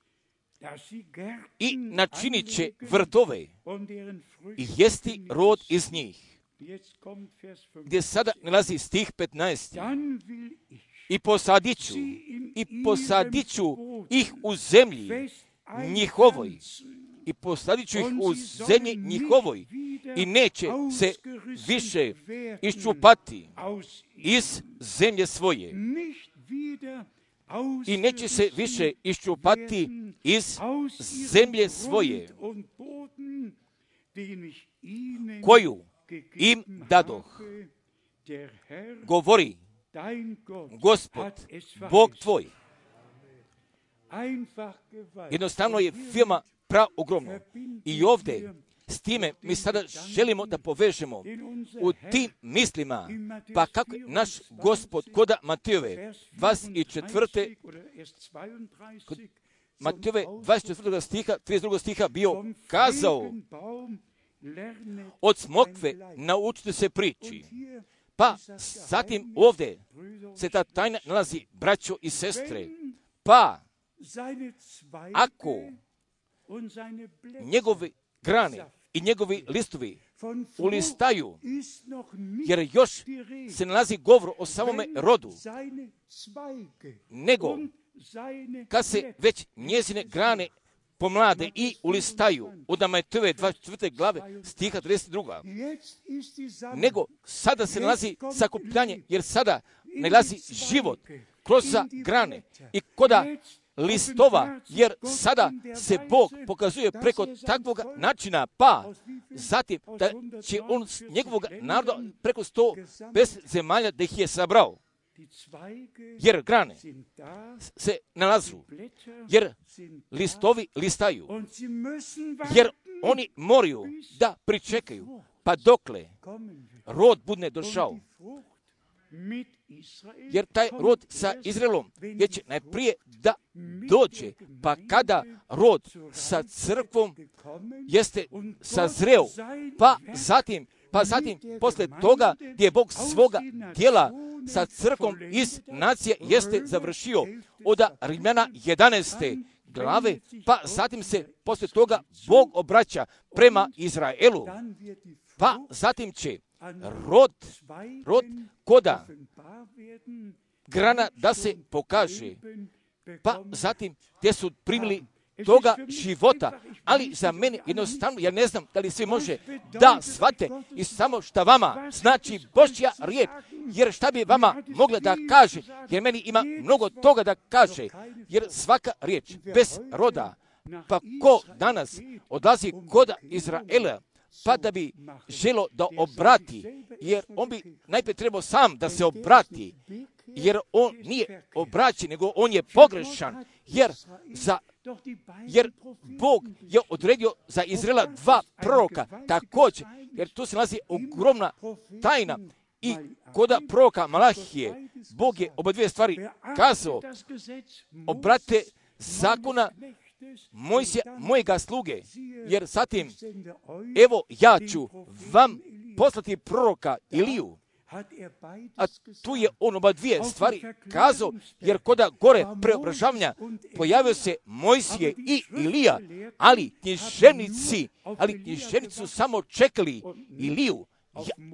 i načinit će vrtove i jesti rod iz njih. Gdje sada nalazi stih 15. I posadit ću ih u zemlji njihovoj. I posadit ću ih u zemlji njihovoj i neće se više iščupati iz zemlje svoje. I neće se više iščupati iz zemlje svoje, koju im dadoh. Govori Gospod, Bog tvoj. Jednostavno je firma praogromno. I ovdje s time mi sada želimo da povežemo u tim mislima, pa kako naš Gospod koda Matejove 24. Kod Matejove 24. stiha, 32. stiha bio kazao: od smokve naučite se priči. Pa zatim ovdje se ta tajna nalazi, braćo i sestre. Pa ako njegove grane i njegovi listovi ulistaju, jer još se nalazi govor o samome rodu, nego kad se već njezine grane pomlade i ulistaju, od Matejove 24. glave stiha 32. Nego sada se nalazi sakupljanje, jer sada nalazi život kroz grane i koda listova, jer sada se Bog pokazuje preko takvog načina, pa zatim da će on s njegovog naroda preko 100 zemalja da ih je sabrao. Jer grane se nalazu, jer listovi listaju, jer oni moraju da pričekaju, pa dokle rod bude došao. Jer taj rod sa Izraelom je će najprije da dođe, pa kada rod sa crkvom jeste sazreo, pa zatim posle toga gdje je Bog svoga djela sa crkvom iz nacije jeste završio od Rimljana 11. glave, pa zatim se posle toga Bog obraća prema Izraelu, pa zatim će rod koda grana da se pokaže, pa zatim gdje su primili toga života, ali za mene jednostavno, ja ne znam da li svi može da shvate i samo šta vama znači Božja riječ, jer šta bi vama mogla da kaže, jer meni ima mnogo toga da kaže, jer svaka riječ bez roda, pa ko danas odlazi kod Izraela, pa da bi želo da obrati, jer on bi najprije trebao sam da se obrati, jer on nije obraćen, nego on je pogrešan, jer Bog je odredio za Izraela 2 proroka, također, jer tu se nalazi ogromna tajna. I koda proroka Malahije, Bog je oba dvije stvari kazao: obrate zakona Mojsija, mojega sluge, jer zatim, evo ja ću vam poslati proroka Iliju. A tu je on oba dvije stvari kazao, jer koda gore preobražavanja pojavio se Mojsije i Ilija, ali književnici su samo čekali Iliju,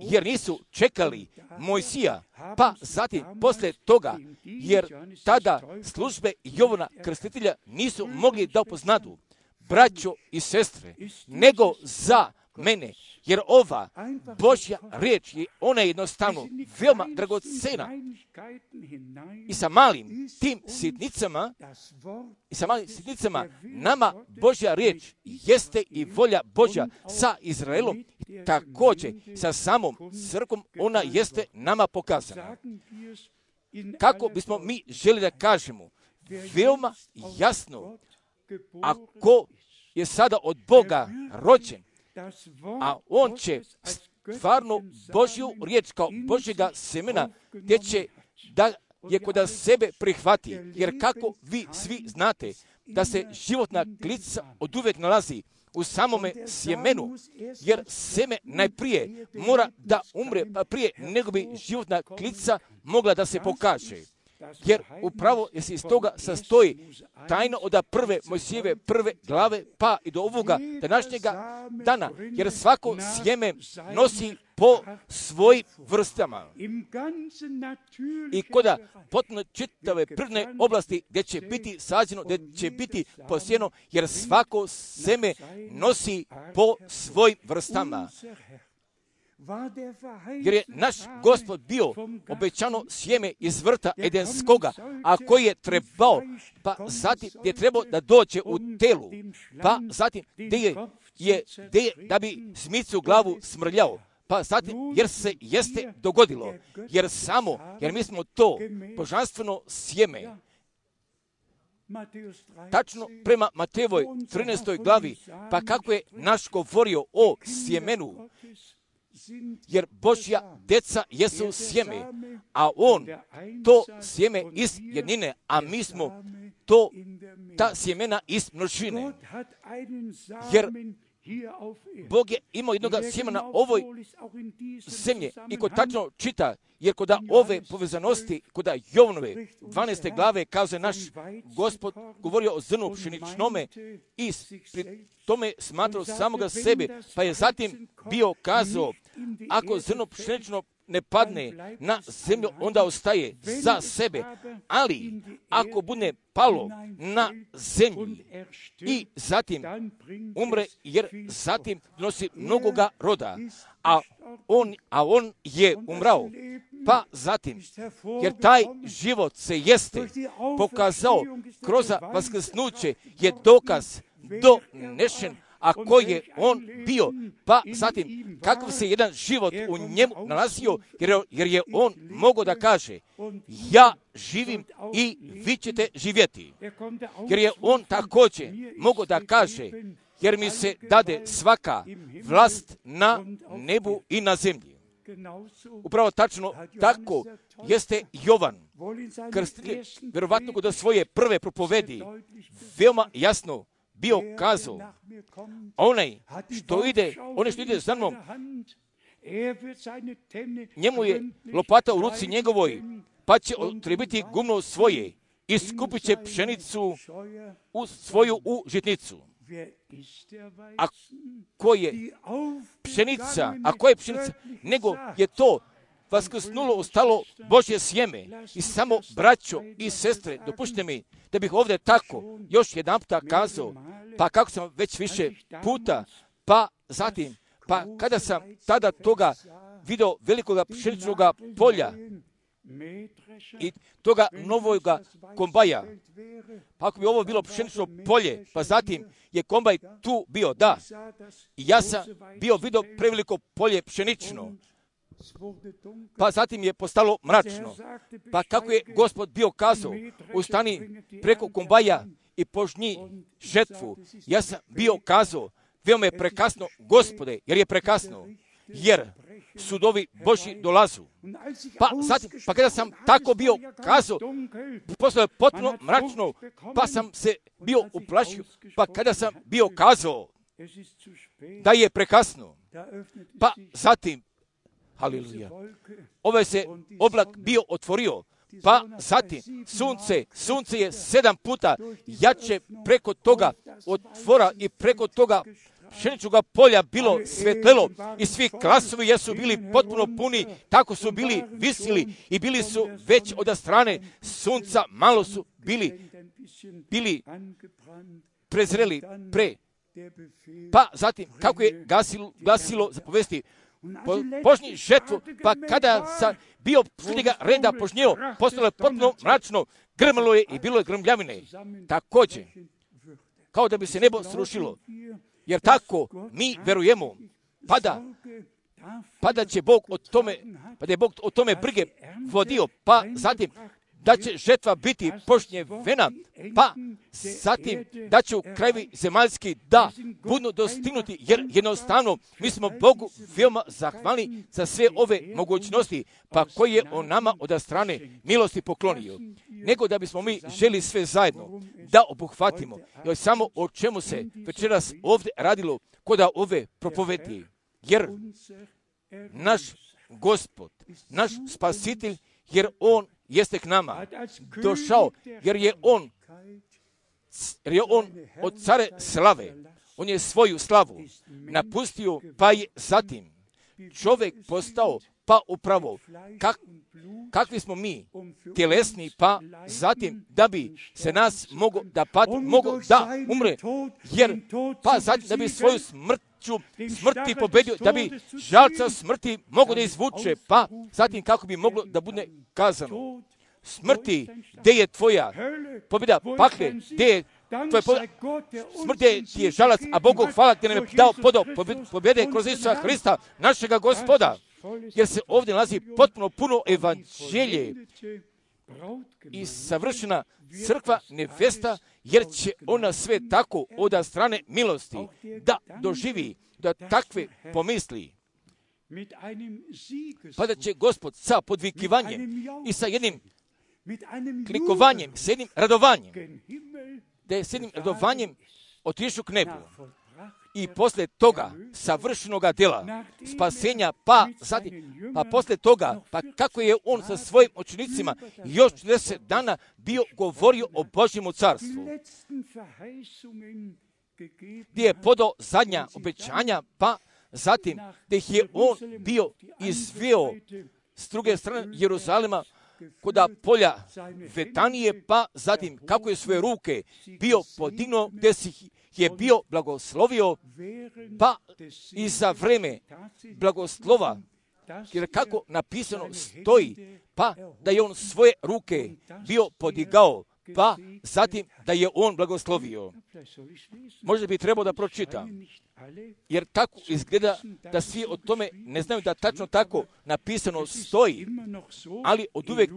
jer nisu čekali Mojsija. Pa zatim posle toga, jer tada službe Jovana Krstitelja nisu mogli da upoznadu, braćo i sestre, nego za mene, jer ova Božja riječ je, ona je jednostavno veoma dragocena. I sa malim tim sitnicama nama Božja riječ jeste i volja Božja sa Izraelom, također sa samom crkvom ona jeste nama pokazana. Kako bismo mi želi da kažemo veoma jasno, ako je sada od Boga rođen, a on će stvarno Božju riječ kao Božjega semena, gdje će da je kod sebe prihvati, jer kako vi svi znate da se životna klica od uvijek nalazi u samome sjemenu, jer seme najprije mora da umre, pa prije nego bi životna klica mogla da se pokaže. jer upravo se iz toga sastoji tajno od prve Mojsijeve prve glave pa i do ovoga današnjega dana, jer svako sjeme nosi po svojim vrstama. I koda potpuno čitave prirodne oblasti gdje će biti sađeno, gdje će biti posijeno, jer svako sjeme nosi po svojim vrstama. Jer je naš Gospod bio obećano sjeme iz vrta Edenskoga, a koji je trebao, pa zatim je trebao da dođe u telu, pa zatim gdje je da bi smicu glavu smrljao, pa zatim jer se jeste dogodilo, jer mi smo to božanstveno sjeme. Tačno prema Matejevoj 13. glavi, pa kako je naš govorio o sjemenu, jer Božja deca jesu sjeme, a on to sjeme iz jednine, a mi smo ta sjemena iz množine. Jer Bog je imao jednoga sjemena na ovoj zemlji i ko tačno čita, jer kod ove povezanosti, kod Jovanove 12. glave, kaže naš Gospod govorio o zrnu pšeničnome i pri tome smatrao samoga sebe, pa je zatim bio kazao, ako zrno pšenično ne padne na zemlju, onda ostaje za sebe, ali ako bude palo na zemlji i zatim umre, jer zatim nosi mnogoga roda, a on je umrao, pa zatim, jer taj život se jeste pokazao kroz vaskrsnuće, je dokaz donešen, a koji je on bio, pa zatim kakav se jedan život u njemu nalazio, jer je on mogao da kaže, ja živim i vi ćete živjeti. Jer je on također mogao da kaže, jer mi se dade svaka vlast na nebu i na zemlji. Upravo tačno tako jeste Jovan Krstitelj, vjerovatno kod svoje prve propovedi, veoma jasno bio kazao, onaj što ide za mnom, njemu je lopata u ruci njegovoj, pa će otrebiti gumno svoje i skupit će pšenicu svoju u žitnicu. A ko je pšenica? Nego je to vaskrsnulo, ostalo Božje sjeme. I samo, braćo i sestre, dopušte mi da bih ovdje tako još jedan puta kazao, pa kako sam već više puta, pa zatim, pa kada sam tada toga video velikoga pšeničnog polja i toga novoga kombaja, pa ako bi ovo bilo pšenično polje, pa zatim je kombaj tu bio, da, i ja sam bio vidio preveliko polje pšenično, pa zatim je postalo mračno. Pa kako je Gospod bio kazao, ustani preko kombaja i požnji žetvu. Ja sam bio kazao, veoma je prekasno, Gospode, jer je prekasno, jer sudovi Božji dolazu. Pa kada sam tako bio kazao, postalo je potpuno mračno, pa sam se bio uplašio, pa kada sam bio kazao da je prekasno, pa zatim, haleluja, ovaj se oblak bio otvorio, pa zatim sunce je 7 puta jače preko toga otvora i preko toga pšeničnog polja bilo svetlelo i svi klasovi jesu bili potpuno puni, tako su bili visili i bili su već od strane sunca, malo su bili prezreli pa zatim kako je glasilo zapovesti, požnji žetvu, pa kada sam bio srednjega reda požnjeo, postalo je potpuno mračno, grmalo je i bilo je grmljavine. Također, kao da bi se nebo srušilo, jer tako mi verujemo, pa da će Bog o tome brige vodio, pa zatim da će žetva biti požnjevena, pa zatim da će u krajevi zemaljski da budu dostignuti, jer jednostavno mi smo Bogu veoma zahvalni za sve ove mogućnosti, pa koji je on nama od strane milosti poklonio. Nego da bismo mi želi sve zajedno da obuhvatimo, jer samo o čemu se večeras ovdje radilo kod ove propovedi, jer naš Gospod, naš Spasitelj, jer on jeste k nama došao, jer je on od care slave. On je svoju slavu napustio, pa je zatim čovjek postao, pa upravo kakvi smo mi tjelesni, pa zatim da bi se nas mogo da umre, jer pa zatim da bi svoju smrti pobedio, da bi žalca smrti mogo da izvuče, pa zatim kako bi moglo da bude kazano: smrti, gdje je tvoja pobjeda, pakle, gdje je tvoja pobjeda, smrti ti je žalac, a Bogu hvala ti nam je dao pobjede kroz Isusa Hrista, našega Gospoda, jer se ovdje nalazi potpuno puno evanđelje i savršena crkva nevesta, jer će ona sve tako od strane milosti da doživi, da takve pomisli. Pa da će Gospod sa podvikivanjem i sa jednim klikovanjem, s jednim radovanjem, da je s jednim radovanjem otišao k nebu. I posle toga savršenoga djela, spasenja, pa posle toga, pa kako je on sa svojim učenicima još 40 dana bio govorio o Božjemu carstvu, gdje je podao zadnja obećanja, pa zatim gdje je on bio izveo s druge strane Jeruzalema koda polja Vetanije, pa zatim kako je svoje ruke bio podignuo, gdje si je bio blagoslovio, pa i za vreme blagoslova, jer kako napisano stoji, pa da je on svoje ruke bio podigao, pa zatim da je on blagoslovio. Možda bi trebao da pročita, jer tako izgleda da svi o tome ne znaju da tačno tako napisano stoji, ali od uvijek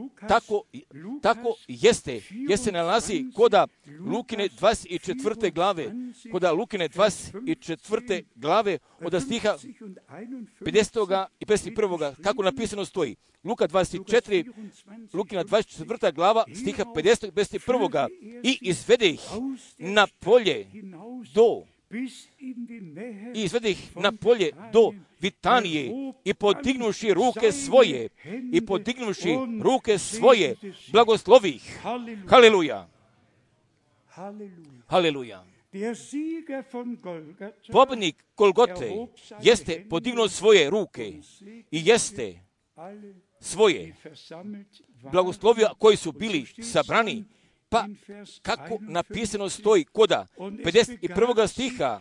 tako jeste, jer se nalazi koda Lukine 24. glave, koda Lukine 24. glave od stiha 50. i 51. kako napisano stoji. Luka 24, Lukina 24. glava, stiha 50. i 51. I izvede ih na polje do Vitanije i podignuši ruke svoje, blagoslovih. Haleluja. Haleluja. Pobjednik Golgote jeste podignuo svoje ruke i jeste svoje blagoslovija koji su bili sabrani, pa kako napisano stoji koda 51. stiha: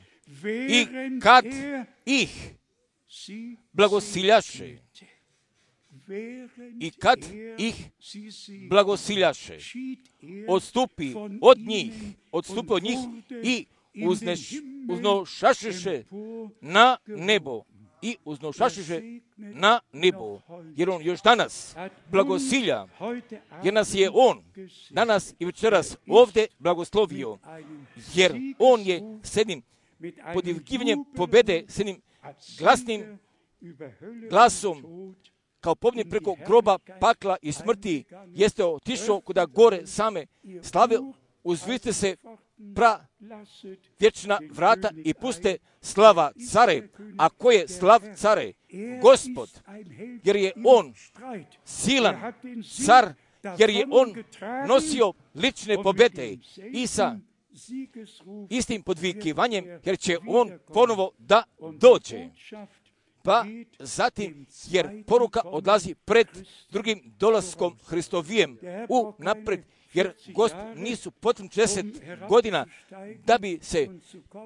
i kad ih blagosiljaše, odstupi od njih i uznošašiše na nebo. Jer on još danas blagosilja, jer nas je on danas i večeras ovdje blagoslovio, jer on je s jednim podvikivanjem pobjede, s jednim glasnim glasom, kao pobjednik preko groba, pakla i smrti, jeste otišao kuda gore same slave, uzviste se vječna vrata i puste slava care. A ko je slav care? Gospod, jer je on silan car, jer je on nosio lične pobjede i sa istim podvikivanjem, jer će on ponovo da dođe. Pa zatim, jer poruka odlazi pred drugim dolaskom Hristovijem u napred, jer Gospod nisu potrebno 40 godina da bi se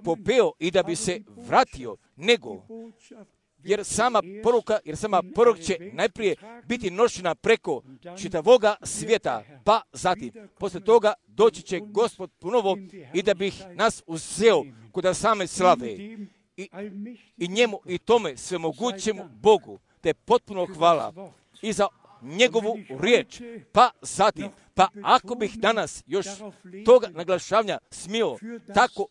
popeo i da bi se vratio, nego jer sama poruka će najprije biti nošena preko čitavoga svijeta, pa zatim posle toga doći će Gospod ponovo i da bi nas uzeo kod same slave i njemu i tome svemogućemu Bogu, te potpuno hvala i za njegovu riječ, pa zatim, pa ako bih danas još toga naglašavanja smio tako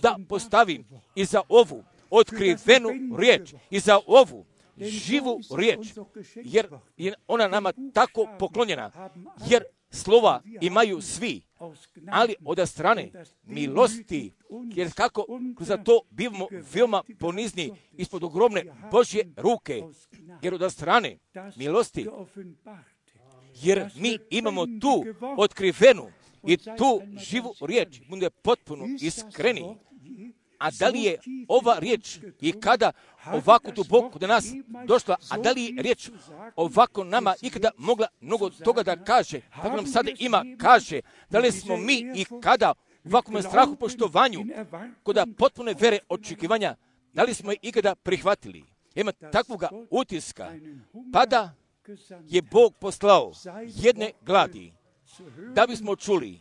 da postavim i za ovu otkrivenu riječ i za ovu živu riječ, jer je ona nama tako poklonjena, jer slova imaju svi, ali od strane milosti, jer kako za to bivamo veoma ponizni ispod ogromne Božje ruke, jer od strane milosti jer mi imamo tu otkrivenu i tu živu riječ, bude potpuno iskreni. A da li je ova riječ i kada ovako duboko do nas došla, a da li je riječ ovako nama ikada mogla mnogo toga da kaže, tako nam sada ima, kaže, da li smo mi i kada ovakvom strahu poštovanju, kod potpune vere očekivanja, da li smo je ikada prihvatili? Ima takvoga utiska, pa da je Bog poslao jedne gladi, da bismo čuli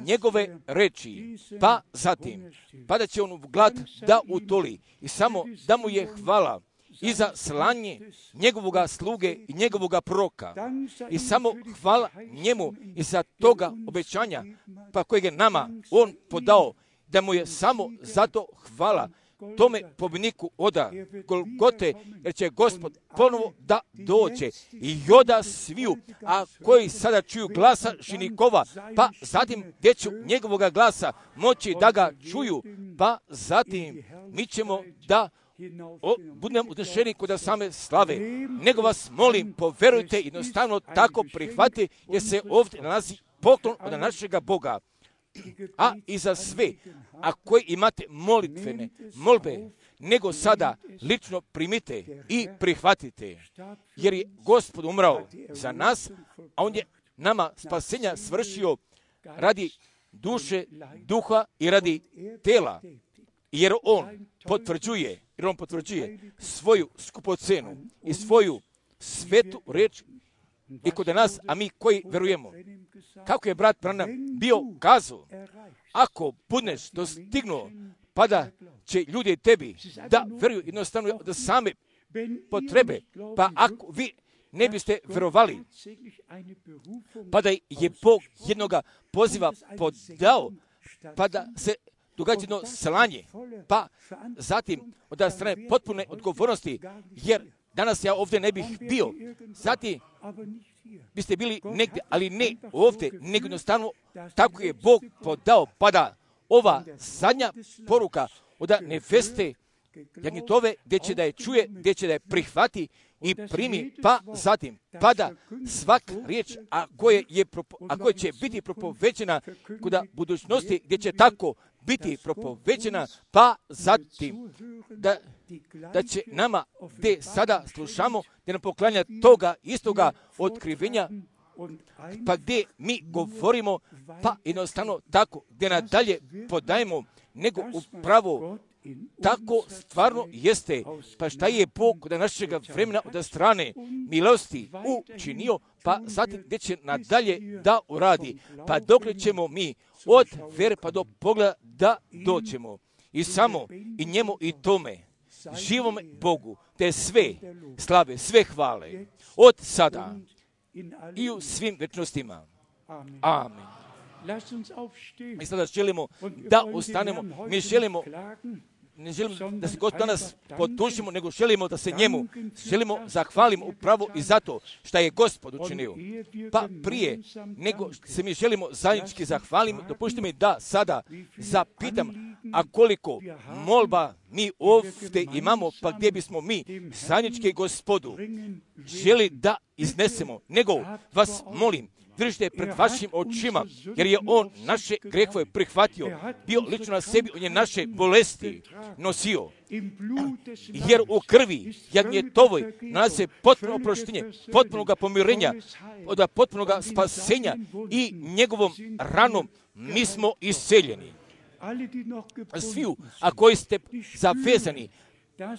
njegove reči, pa zatim, pa da će on glad da utoli i samo da mu je hvala i za slanje njegovoga sluge i njegovoga proroka. I samo hvala njemu i za toga obećanja, pa kojeg je nama on podao, da mu je samo zato hvala tome pobjedniku oda Golgote, jer će Gospod ponovo da dođe i oda sviju, a koji sada čuju glasa žinikova, pa zatim gdje ću njegovoga glasa moći da ga čuju, pa zatim mi ćemo da budemo udešeni kod same slave. Nego vas molim, poverujte, jednostavno tako prihvati, jer se ovdje nalazi poklon od našega Boga. A i za sve, a koji imate molitvene molbe, nego sada lično primite i prihvatite, jer je Gospod umrao za nas, a on je nama spasenja svršio radi duše, duha i radi tela, jer on potvrđuje svoju skupocenu i svoju svetu reč i kod nas, a mi koji verujemo. Kako je brat Branham bio kazao, ako budeš dostignuo, pa da će ljudi tebi da veruju jednostavno da same potrebe, pa ako vi ne biste verovali, pa da je Bog jednoga poziva podao, pa da se događa jedno slanje, pa zatim od strane potpune odgovornosti, jer danas ja ovdje ne bih bio, zatim biste bili negdje, ali ne ovdje, nego jednostavno tako je Bog podao, pa da ova zadnja poruka od neveste jagnjetove, gdje će da je čuje, gdje će da je prihvati i primi, pa zatim, pa da svaka riječ, a koja će biti propovećena kod budućnosti, gdje će tako biti propovećena, pa zatim, da će nama, gdje sada slušamo, gdje nam poklanja toga istoga otkrivenja, pa gdje mi govorimo, pa jednostavno tako, gdje nadalje podajemo, nego upravo tako stvarno jeste, pa šta je Bog od našega vremena od strane milosti učinio, pa zatim gdje će nadalje da uradi, pa dokle ćemo mi od vere pa do pogleda da doćemo. I samo i njemu i tome, živom Bogu, te sve slave, sve hvale, od sada i u svim večnostima. Amen. Mi sada želimo da ustanemo, mi želimo, ne želimo da se Gospod danas potušimo, nego želimo da se njemu zahvalimo upravo i zato što je Gospod učinio. Pa prije nego se mi želimo zajednički zahvalimo, dopustite mi da sada zapitam, a koliko molba mi ovdje imamo, pa gdje bismo mi zajednički Gospodu želi da iznesemo, nego vas molim, držite pred vašim očima, jer je on naše grehove prihvatio, bio lično na sebi, on je naše bolesti nosio. Jer u krvi jagnjetovoj nalazi se potpuno oproštenje, potpunoga pomirenja, od potpunoga spasenja i njegovom ranom mi smo isceljeni. Sviju, a koji ste zavezani,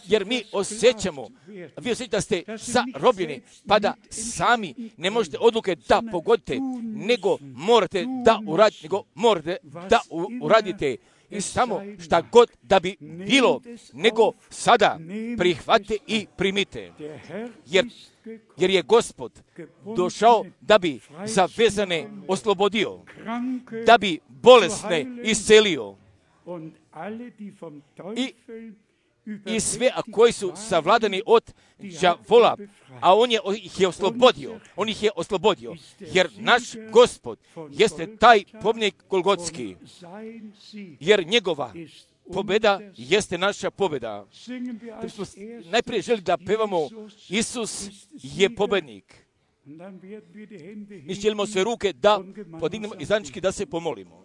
jer mi osjećamo, vi osjećate da ste zarobljeni, pa da sami ne možete odluke da pogodite, nego morate da uradite i samo šta god da bi bilo, nego sada prihvatite i primite. Jer je Gospod došao da bi zavezane oslobodio, da bi bolesne iscelio i sve koji su savladani od đavola, a on ih je oslobodio, jer naš Gospod jeste taj pobjednik Golgotski, jer njegova pobjeda jeste naša pobjeda. Najprije želim da pevamo Isus je pobjednik. Mi želimo sve ruke da podignemo i zajednički da se pomolimo.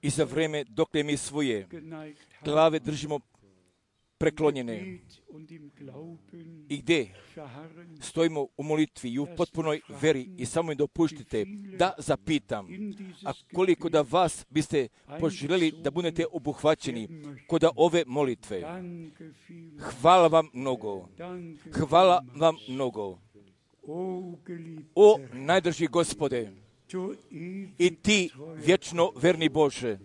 I za vreme dok mi svoje glave držimo preklonjene i gdje stojimo u molitvi i u potpunoj veri i samo im dopuštite da zapitam, a koliko da vas biste poželjeli da budete obuhvaćeni kod ove molitve. Hvala vam mnogo. Hvala vam mnogo. O najdraži Gospode, i ti vječno verni Bože,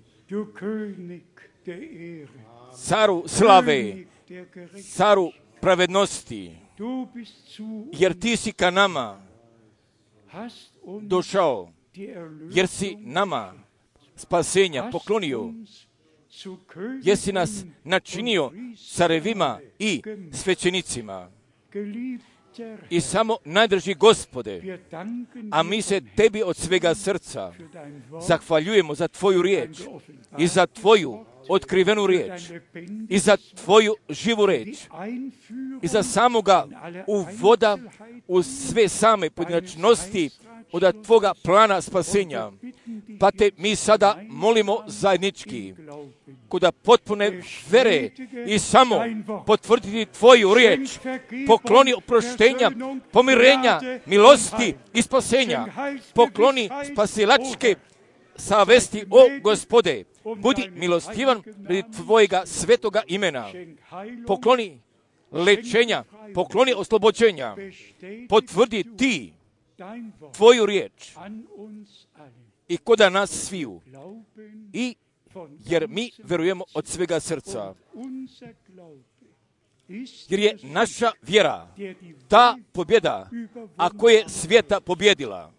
caru slave, caru pravednosti, jer ti si ka nama došao, jer si nama spasenja poklonio, jer si nas načinio carevima i svećenicima. I samo najdraži Gospode, a mi se tebi od svega srca zahvaljujemo za tvoju riječ i za tvoju otkrivenu riječ i za tvoju živu riječ i za samoga uvoda u sve same pojedinačnosti od tvoga plana spasenja. Pa te mi sada molimo zajednički kod potpune vere i samo potvrditi tvoju riječ, pokloni oproštenja, pomirenja, milosti i spasenja, pokloni spasilačke savesti, o Gospode, budi milostivan pred tvojega svetoga imena, pokloni lečenja, pokloni oslobođenja, potvrdi ti tvoju riječ i koda nas sviju, i jer mi verujemo od svega srca, jer je naša vjera ta pobjeda, ako je svijeta pobjedila.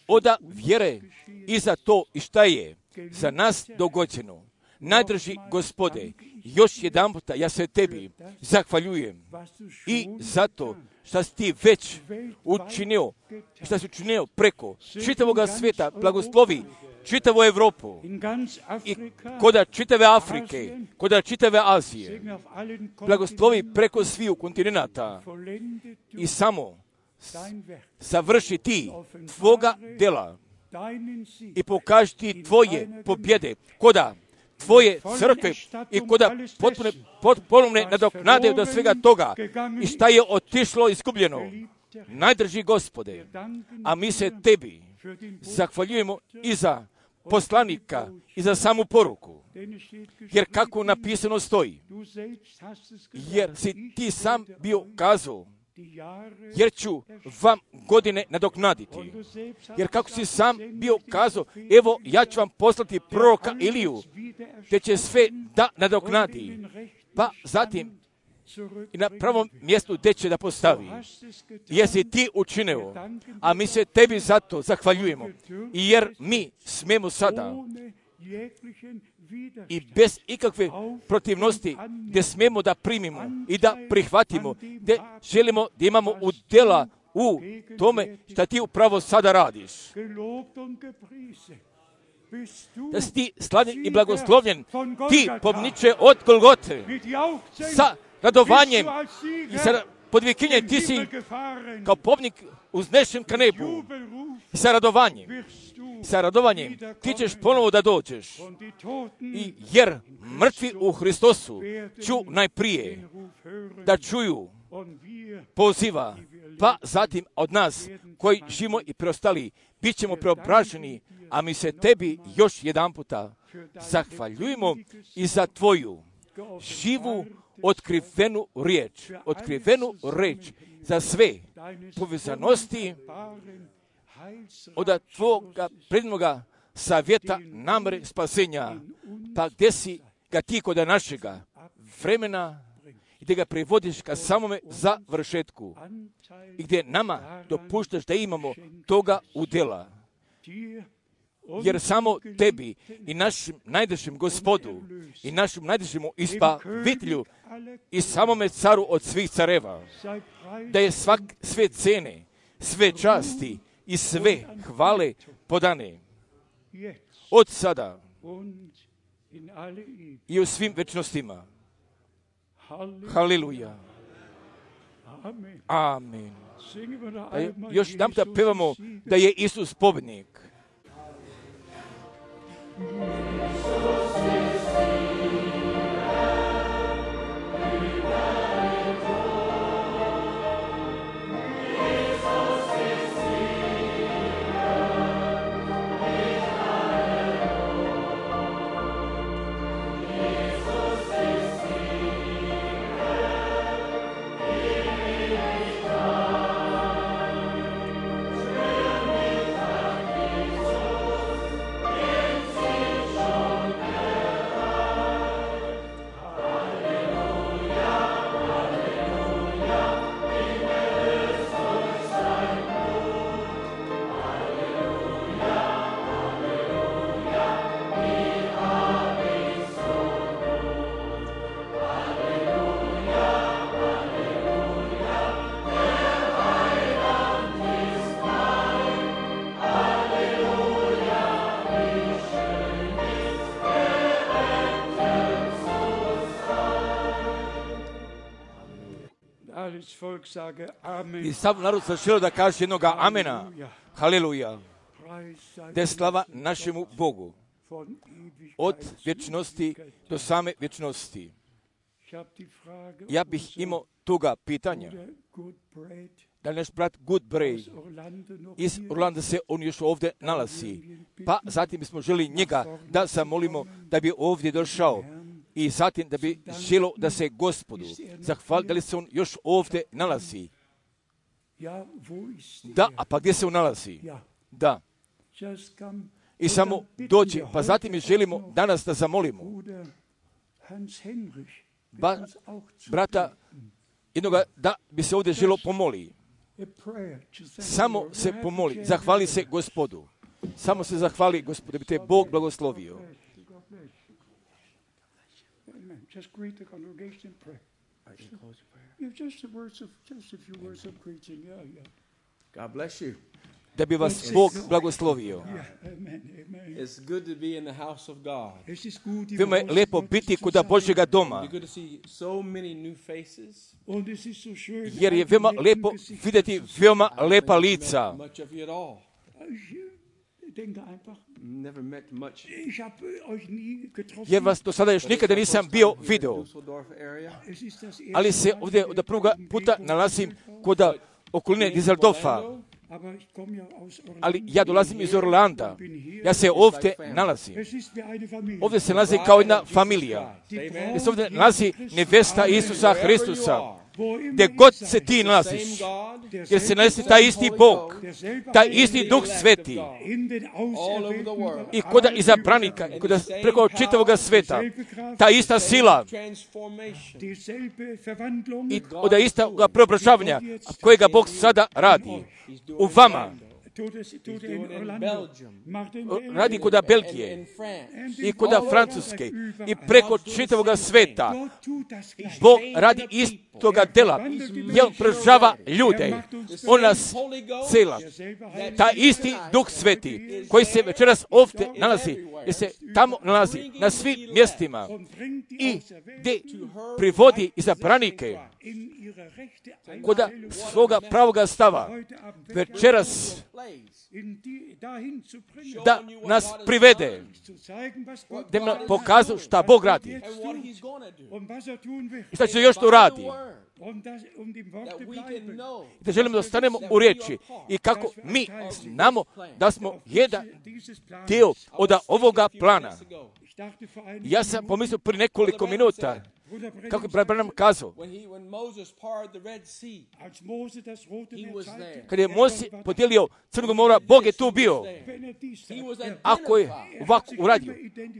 Oda vjere i za to i šta je za nas dogođeno. Najdraži Gospode, još jedan puta ja se tebi zahvaljujem i zato što si ti već učinio, što si učinio preko čitavoga svijeta, blagoslovi čitavu Evropu i koda čitave Afrike, koda čitave Azije, blagoslovi preko sviju kontinenta i samo savrši ti tvoga dela i pokaži ti tvoje pobjede koda tvoje crkve i koda ponovne nadoknade od svega toga i šta je otišlo izgubljeno. Najdraži Gospode, a mi se tebi zahvaljujemo i za poslanika i za samu poruku, jer kako napisano stoji, jer si ti sam bio kazao, jer ću vam godine nadoknaditi. Jer kako si sam bio kazao, evo ja ću vam poslati proroka Iliju, te će sve da nadoknadi. Pa zatim i na pravom mjestu gdje će da postavi. Jer si ti učinio, a mi se tebi zato zahvaljujemo. I jer mi smemo sada i bez ikakve protivnosti gdje smemo da primimo i da prihvatimo, gdje želimo da imamo udjela u tome što ti upravo sada radiš. Da si ti slavljen i blagoslovljen, ti pomniče od Golgote, sa radovanjem i sa podvikinjem, ti si kao pobnik uznešen ka nebu i sa radovanjem sa radovanjem ti ćeš ponovo da dođeš. I jer mrtvi u Hristosu ću najprije da čuju poziva, pa zatim od nas koji živimo i preostali bit ćemo preobraženi, a mi se tebi još jedan puta zahvaljujemo i za tvoju živu otkrivenu riječ za sve povezanosti od tvoga prednoga savjeta namere spasenja, pa gdje si ga ti kod našega vremena i gdje ga privodiš ka samome završetku i gdje nama dopuštaš da imamo toga udjela. Jer samo tebi i našem najdražem Gospodu i našem najdražemu Izbavitelju i samome caru od svih careva, da je sve cene, sve časti i sve hvale podane od sada i u svim večnostima. Haleluja. Amen. Još jedan da pevamo da je Isus pobjednik. I sav narod se želio da kaže jednoga amena. Haleluja. Da je slava našemu Bogu od vječnosti do same vječnosti. Ja bih imao toga pitanja. Da li naš brat Goodbray iz Orlanda se on još ovdje nalazi. Pa zatim bismo želi njega da zamolimo da bi ovdje došao. I zatim da bi želo da se Gospodu zahvali, da li se on još ovdje nalazi. Da, a pa gdje se on nalazi? Da. I samo dođe, pa zatim mi želimo danas da zamolimo brata jednoga da bi se ovdje želo pomoli. Samo se pomoli, zahvali se Gospodu. Samo se zahvali Gospodu, da bi te Bog blagoslovio. Just greet the congregation and pray. Just a few words of greeting. God bless you. Da bi vas Bog blagoslovio. It's good to be in the house of God. Veoma je lepo biti kod Božjega doma. Jer je veoma lepo vidjeti veoma lepa lica. Jer vas do sada još nikada nisam bio video. Ali se ovdje od prvoga puta nalazim kod okoline Düsseldorfa. Ali ja dolazim iz Orlanda. Ja se ovdje nalazim. Ovdje se nalazi kao jedna familija. Gdje se ovdje nalazi nevesta Isusa Hristusa. Gdje god se ti nalaziš, jer se nalazi taj isti Bog, taj isti Duh Sveti i kod izabranika, i kod preko čitavog sveta, ta ista sila i od istog preobražavanja kojega Bog sada radi u vama. Radi kod Belgije i kod Francuske i preko čitavog sveta. Bog radi istoga dela. Jer prežava ljude. On nas cela. Ta isti Duh Sveti koji se večeras ovdje nalazi, jer se tamo nalazi na svim mjestima i gdje privodi izabranike kod svoga pravoga stava. Večeras da nas privede, da nam pokazuje šta Bog radi i šta će još to radi. Da želimo da ostanemo u riječi i kako mi znamo da smo jedan dio od ovoga plana. Ja sam pomislio prije nekoliko minuta, kako je brat Branham kazao, kad je Mojsije podijelio Crnog mora, Bog je tu bio. Ako je ovako uradio,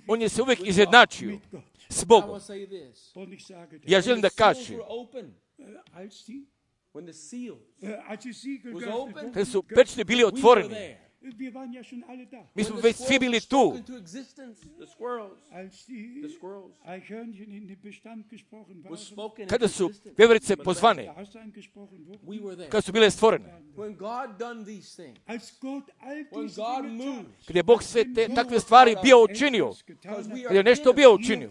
on je se uvijek izjednačio s Bogom. Ja želim da kažem, kada su pečni bili otvoreni, mi smo već svi bili tu. Kada su veverice pozvane, kada su bile stvorene, kada je Bog sve takve stvari bio učinio, kada je nešto bio učinio,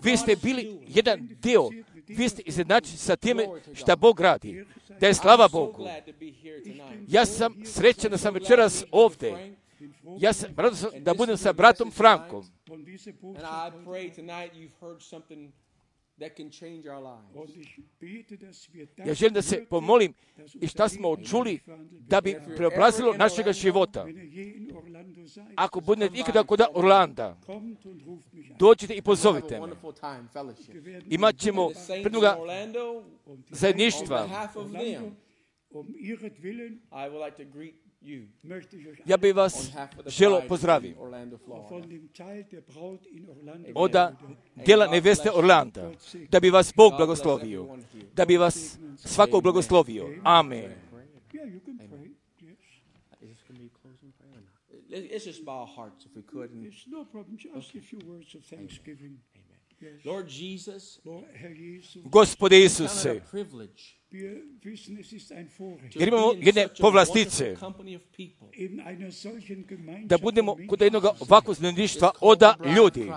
vi ste bili jedan dio, vi ste izjednačeni sa time šta Bog radi. Da je slava Bogu. Ja sam srećan da sam večeras ovdje. Ja sam radosan da budem sa bratom Frankom. Ja želim da se pomolim i šta smo čuli da bi preobrazilo našega života. Ako budete ikada kod Orlanda, dođite i pozovite me. Imat ćemo prednoga zajedništva. Ja bih vas želio pozdraviti od djela neveste Orlanda, da bi vas Bog blagoslovio, da bi vas svakog blagoslovio. Amen. Let's just bow our hearts if we could. It's no problem. Just a few words of thanksgiving. Yes. Lord Jesus, Gospode Isuse, jer imamo jedne povlastice da budemo kod jednog ovakvog zajedništva od ljudi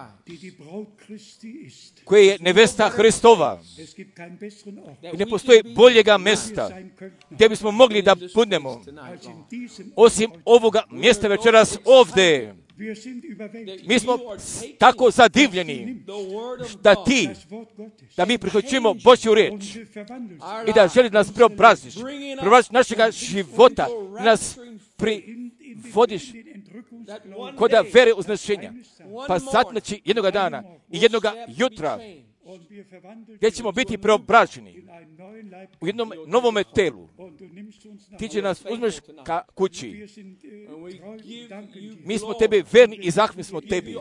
koje je nevesta Hristova. I ne postoji boljega mjesta gdje bismo mogli da budemo osim ovoga mjesta večeras ovdje. Mi smo tako zadivljeni da mi prihvaćamo Božju riječ i da želi nas preobraziš našega života, nas privodiš kod vere uznešenja. Pa znači jednoga dana i jednoga jutra gdje ćemo biti preobraženi u jednom novome telu. Ti će nas uzmeš ka kući. Mi smo tebi verni i zahvalni smo tebi.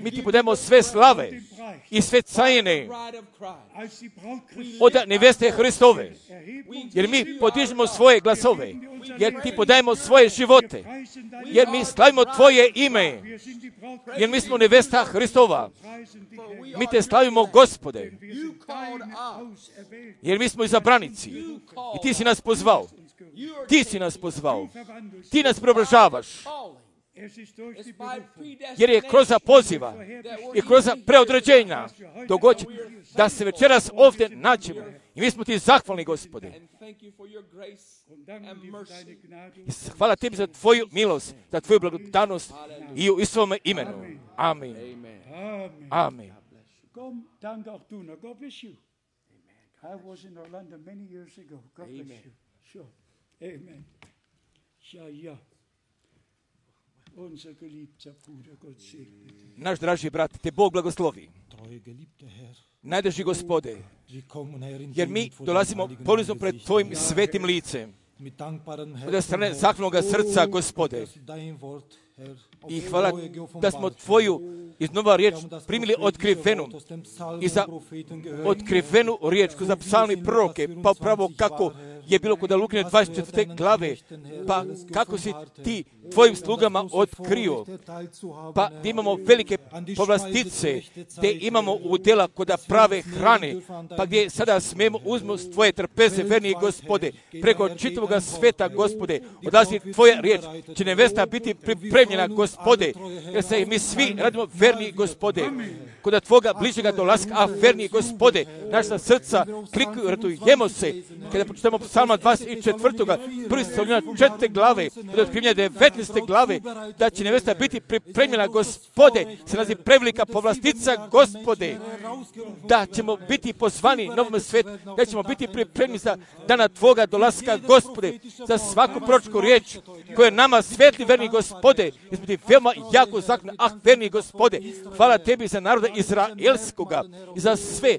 Mi ti podajemo sve slave i sve cajene od neveste Hristove. Jer mi podižemo svoje glasove. Jer ti podajemo svoje živote. Jer mi slavimo tvoje ime. Jer mi smo nevesta Hristova. Mi te slavimo, Gospode. Jer mi smo izabranici. I ti si nas pozvao. Ti si nas pozvao. Ti nas preobražavaš. Jer je kroz poziva i kroz preodređenja dogođe da se večeras ovdje nađemo. I mi smo ti zahvalni, Gospode. I hvala tebi za tvoju milost, za tvoju blagodanost i u svome imenu. Amen. Amen. Danke auch du. Now, God bless you. I was in Orlando many years ago. God bless you. Sure. Amen. Ja. Unser geliebter Bruder, Gott segne dich. Naš draži brat, te Bog blagoslovi. Najdraži Gospode, jer mi dolazimo ponizno pred tvojim svetim licem. Od strane zahvalnoga srca, Gospode. I hvala da smo tvoju iznova riječ primili otkrivenu i za otkrivenu riječ za psalmi proroke, pa upravo kako je bilo kod Lukine 24. glave, pa kako si ti tvojim slugama otkrio, pa da imamo velike povlastice, gdje imamo udjela kod prave hrane, pa gdje sada smijemo uzmost tvoje trpeze, verni Gospode, preko čitavoga sveta, Gospode, odlazi tvoja riječ, će nevesta biti pripremljena, Gospode, jer se mi svi radimo verni, Gospode, kod Tvoga bližega dolaska, a verni Gospode, naša srca klikuju, radujemo se. Kada počitamo psalma 24. prvi Solunjana 4. glave, od otkrivanja 19. glave, da će nevesta biti pripremljena, Gospode, se nalazi prevelika povlastica, Gospode, da ćemo biti pozvani novom svijetu, da ćemo biti pripremljeni za dana Tvoga dolaska, Gospode, za svaku proročku riječ koja je nama svetli, verni Gospode, izbiti veoma jako zakon, verni Gospode, hvala Tebi za naroda izraelskoga i za sve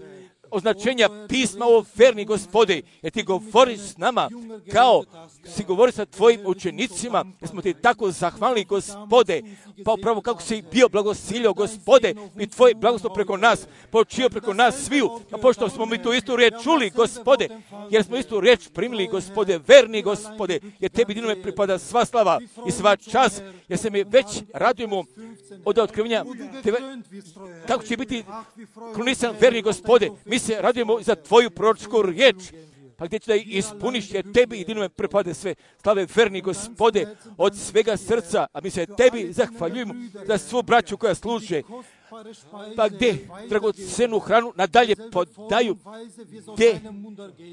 označenja pisma, o verni Gospode, jer Ti govoriš s nama kao si govori sa Tvojim učenicima, jer smo Ti tako zahvalni, Gospode, pa upravo kako si bio blagosilio, Gospode, i Tvoj blagoslov preko nas, počio preko nas sviju, a pošto smo mi tu istu riječ čuli, Gospode, jer smo istu riječ primili, Gospode, verni Gospode, jer Tebi jedinome pripada sva slava i sva čast, jer se mi već radujemo od otkrivenja kako će biti krunisan, verni Gospode. Mi se radujemo za Tvoju proročku riječ, pa gdje će da ispuniš, jer Tebi jedinome pripade sve slave, verni Gospode, od svega srca, a mi se Tebi zahvaljujemo za svu braću koja služe, pa gdje dragocenu hranu nadalje podaju, gdje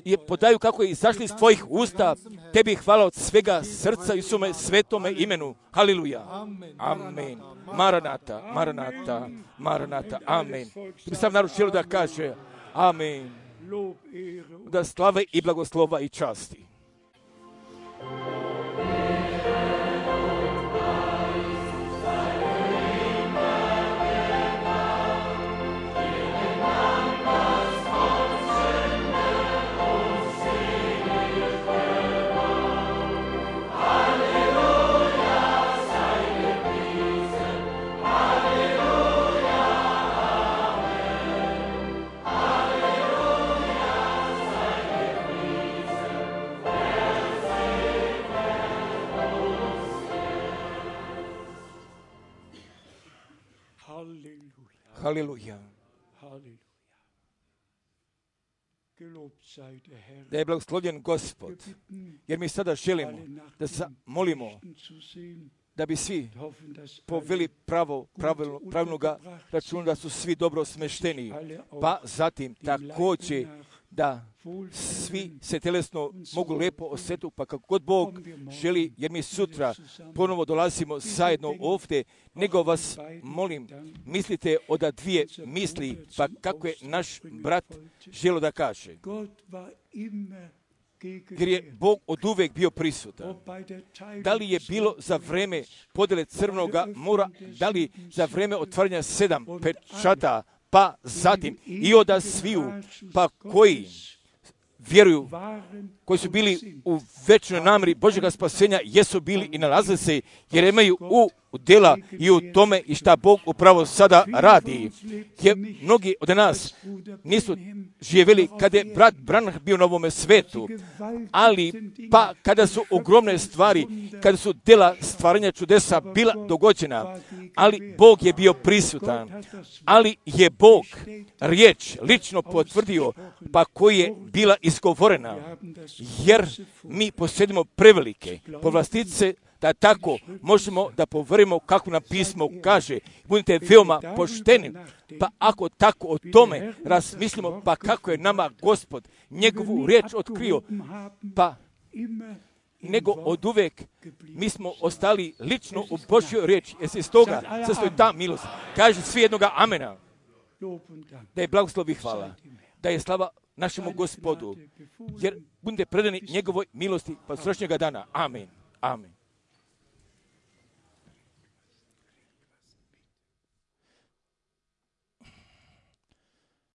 je podaju kako je izašli iz Tvojih usta. Tebi hvala od svega srca i sume svetome imenu. Haliluja. Amen. Maranata, Maranata, Maranata. Amen. Mi sam naručio da kaže amen. Da slave i blagoslova i časti. Haleluja. Da je blagoslovljen Gospod, jer mi sada želimo da molimo da bi svi poveli pravilnoga računa, da su svi dobro smešteni, pa zatim također da svi se telesno mogu lijepo osjetiti, pa kako god Bog želi, jer mi sutra ponovo dolazimo zajedno ovdje, nego vas molim, mislite od dvije misli, pa kako je naš brat želio da kaže. Jer je Bog od uvijek bio prisutan. Da li je bilo za vreme podjele Crvenoga mora, da li za vreme otvaranja 7 pečata, pa zatim i od sviju, pa koji vjeruju, koji su bili u večnoj namjeri Božjega spasenja, jesu bili i nalaze se, jer imaju u djela i u tome i šta Bog upravo sada radi. Jer mnogi od nas nisu živjeli kada je brat Branham bio na ovome svetu, ali pa kada su ogromne stvari, kada su djela stvaranja čudesa bila dogođena, ali Bog je bio prisutan, ali je Bog riječ lično potvrdio, pa koji je bila izgovorena, jer mi posjedimo prevelike povlastice, da tako možemo da poverimo kako nam pismo kaže. Budite veoma pošteni, pa ako tako o tome razmislimo, pa kako je nama Gospod njegovu riječ otkrio, pa nego od uvijek mi smo ostali lično u Božjoj riječi, jer se iz toga sastoji ta milost. Kaže svi jednoga amena. Da je blagoslov i hvala, da je slava našemu Gospodu, jer budite predani njegovoj milosti pa srećnjega dana. Amen. Amen.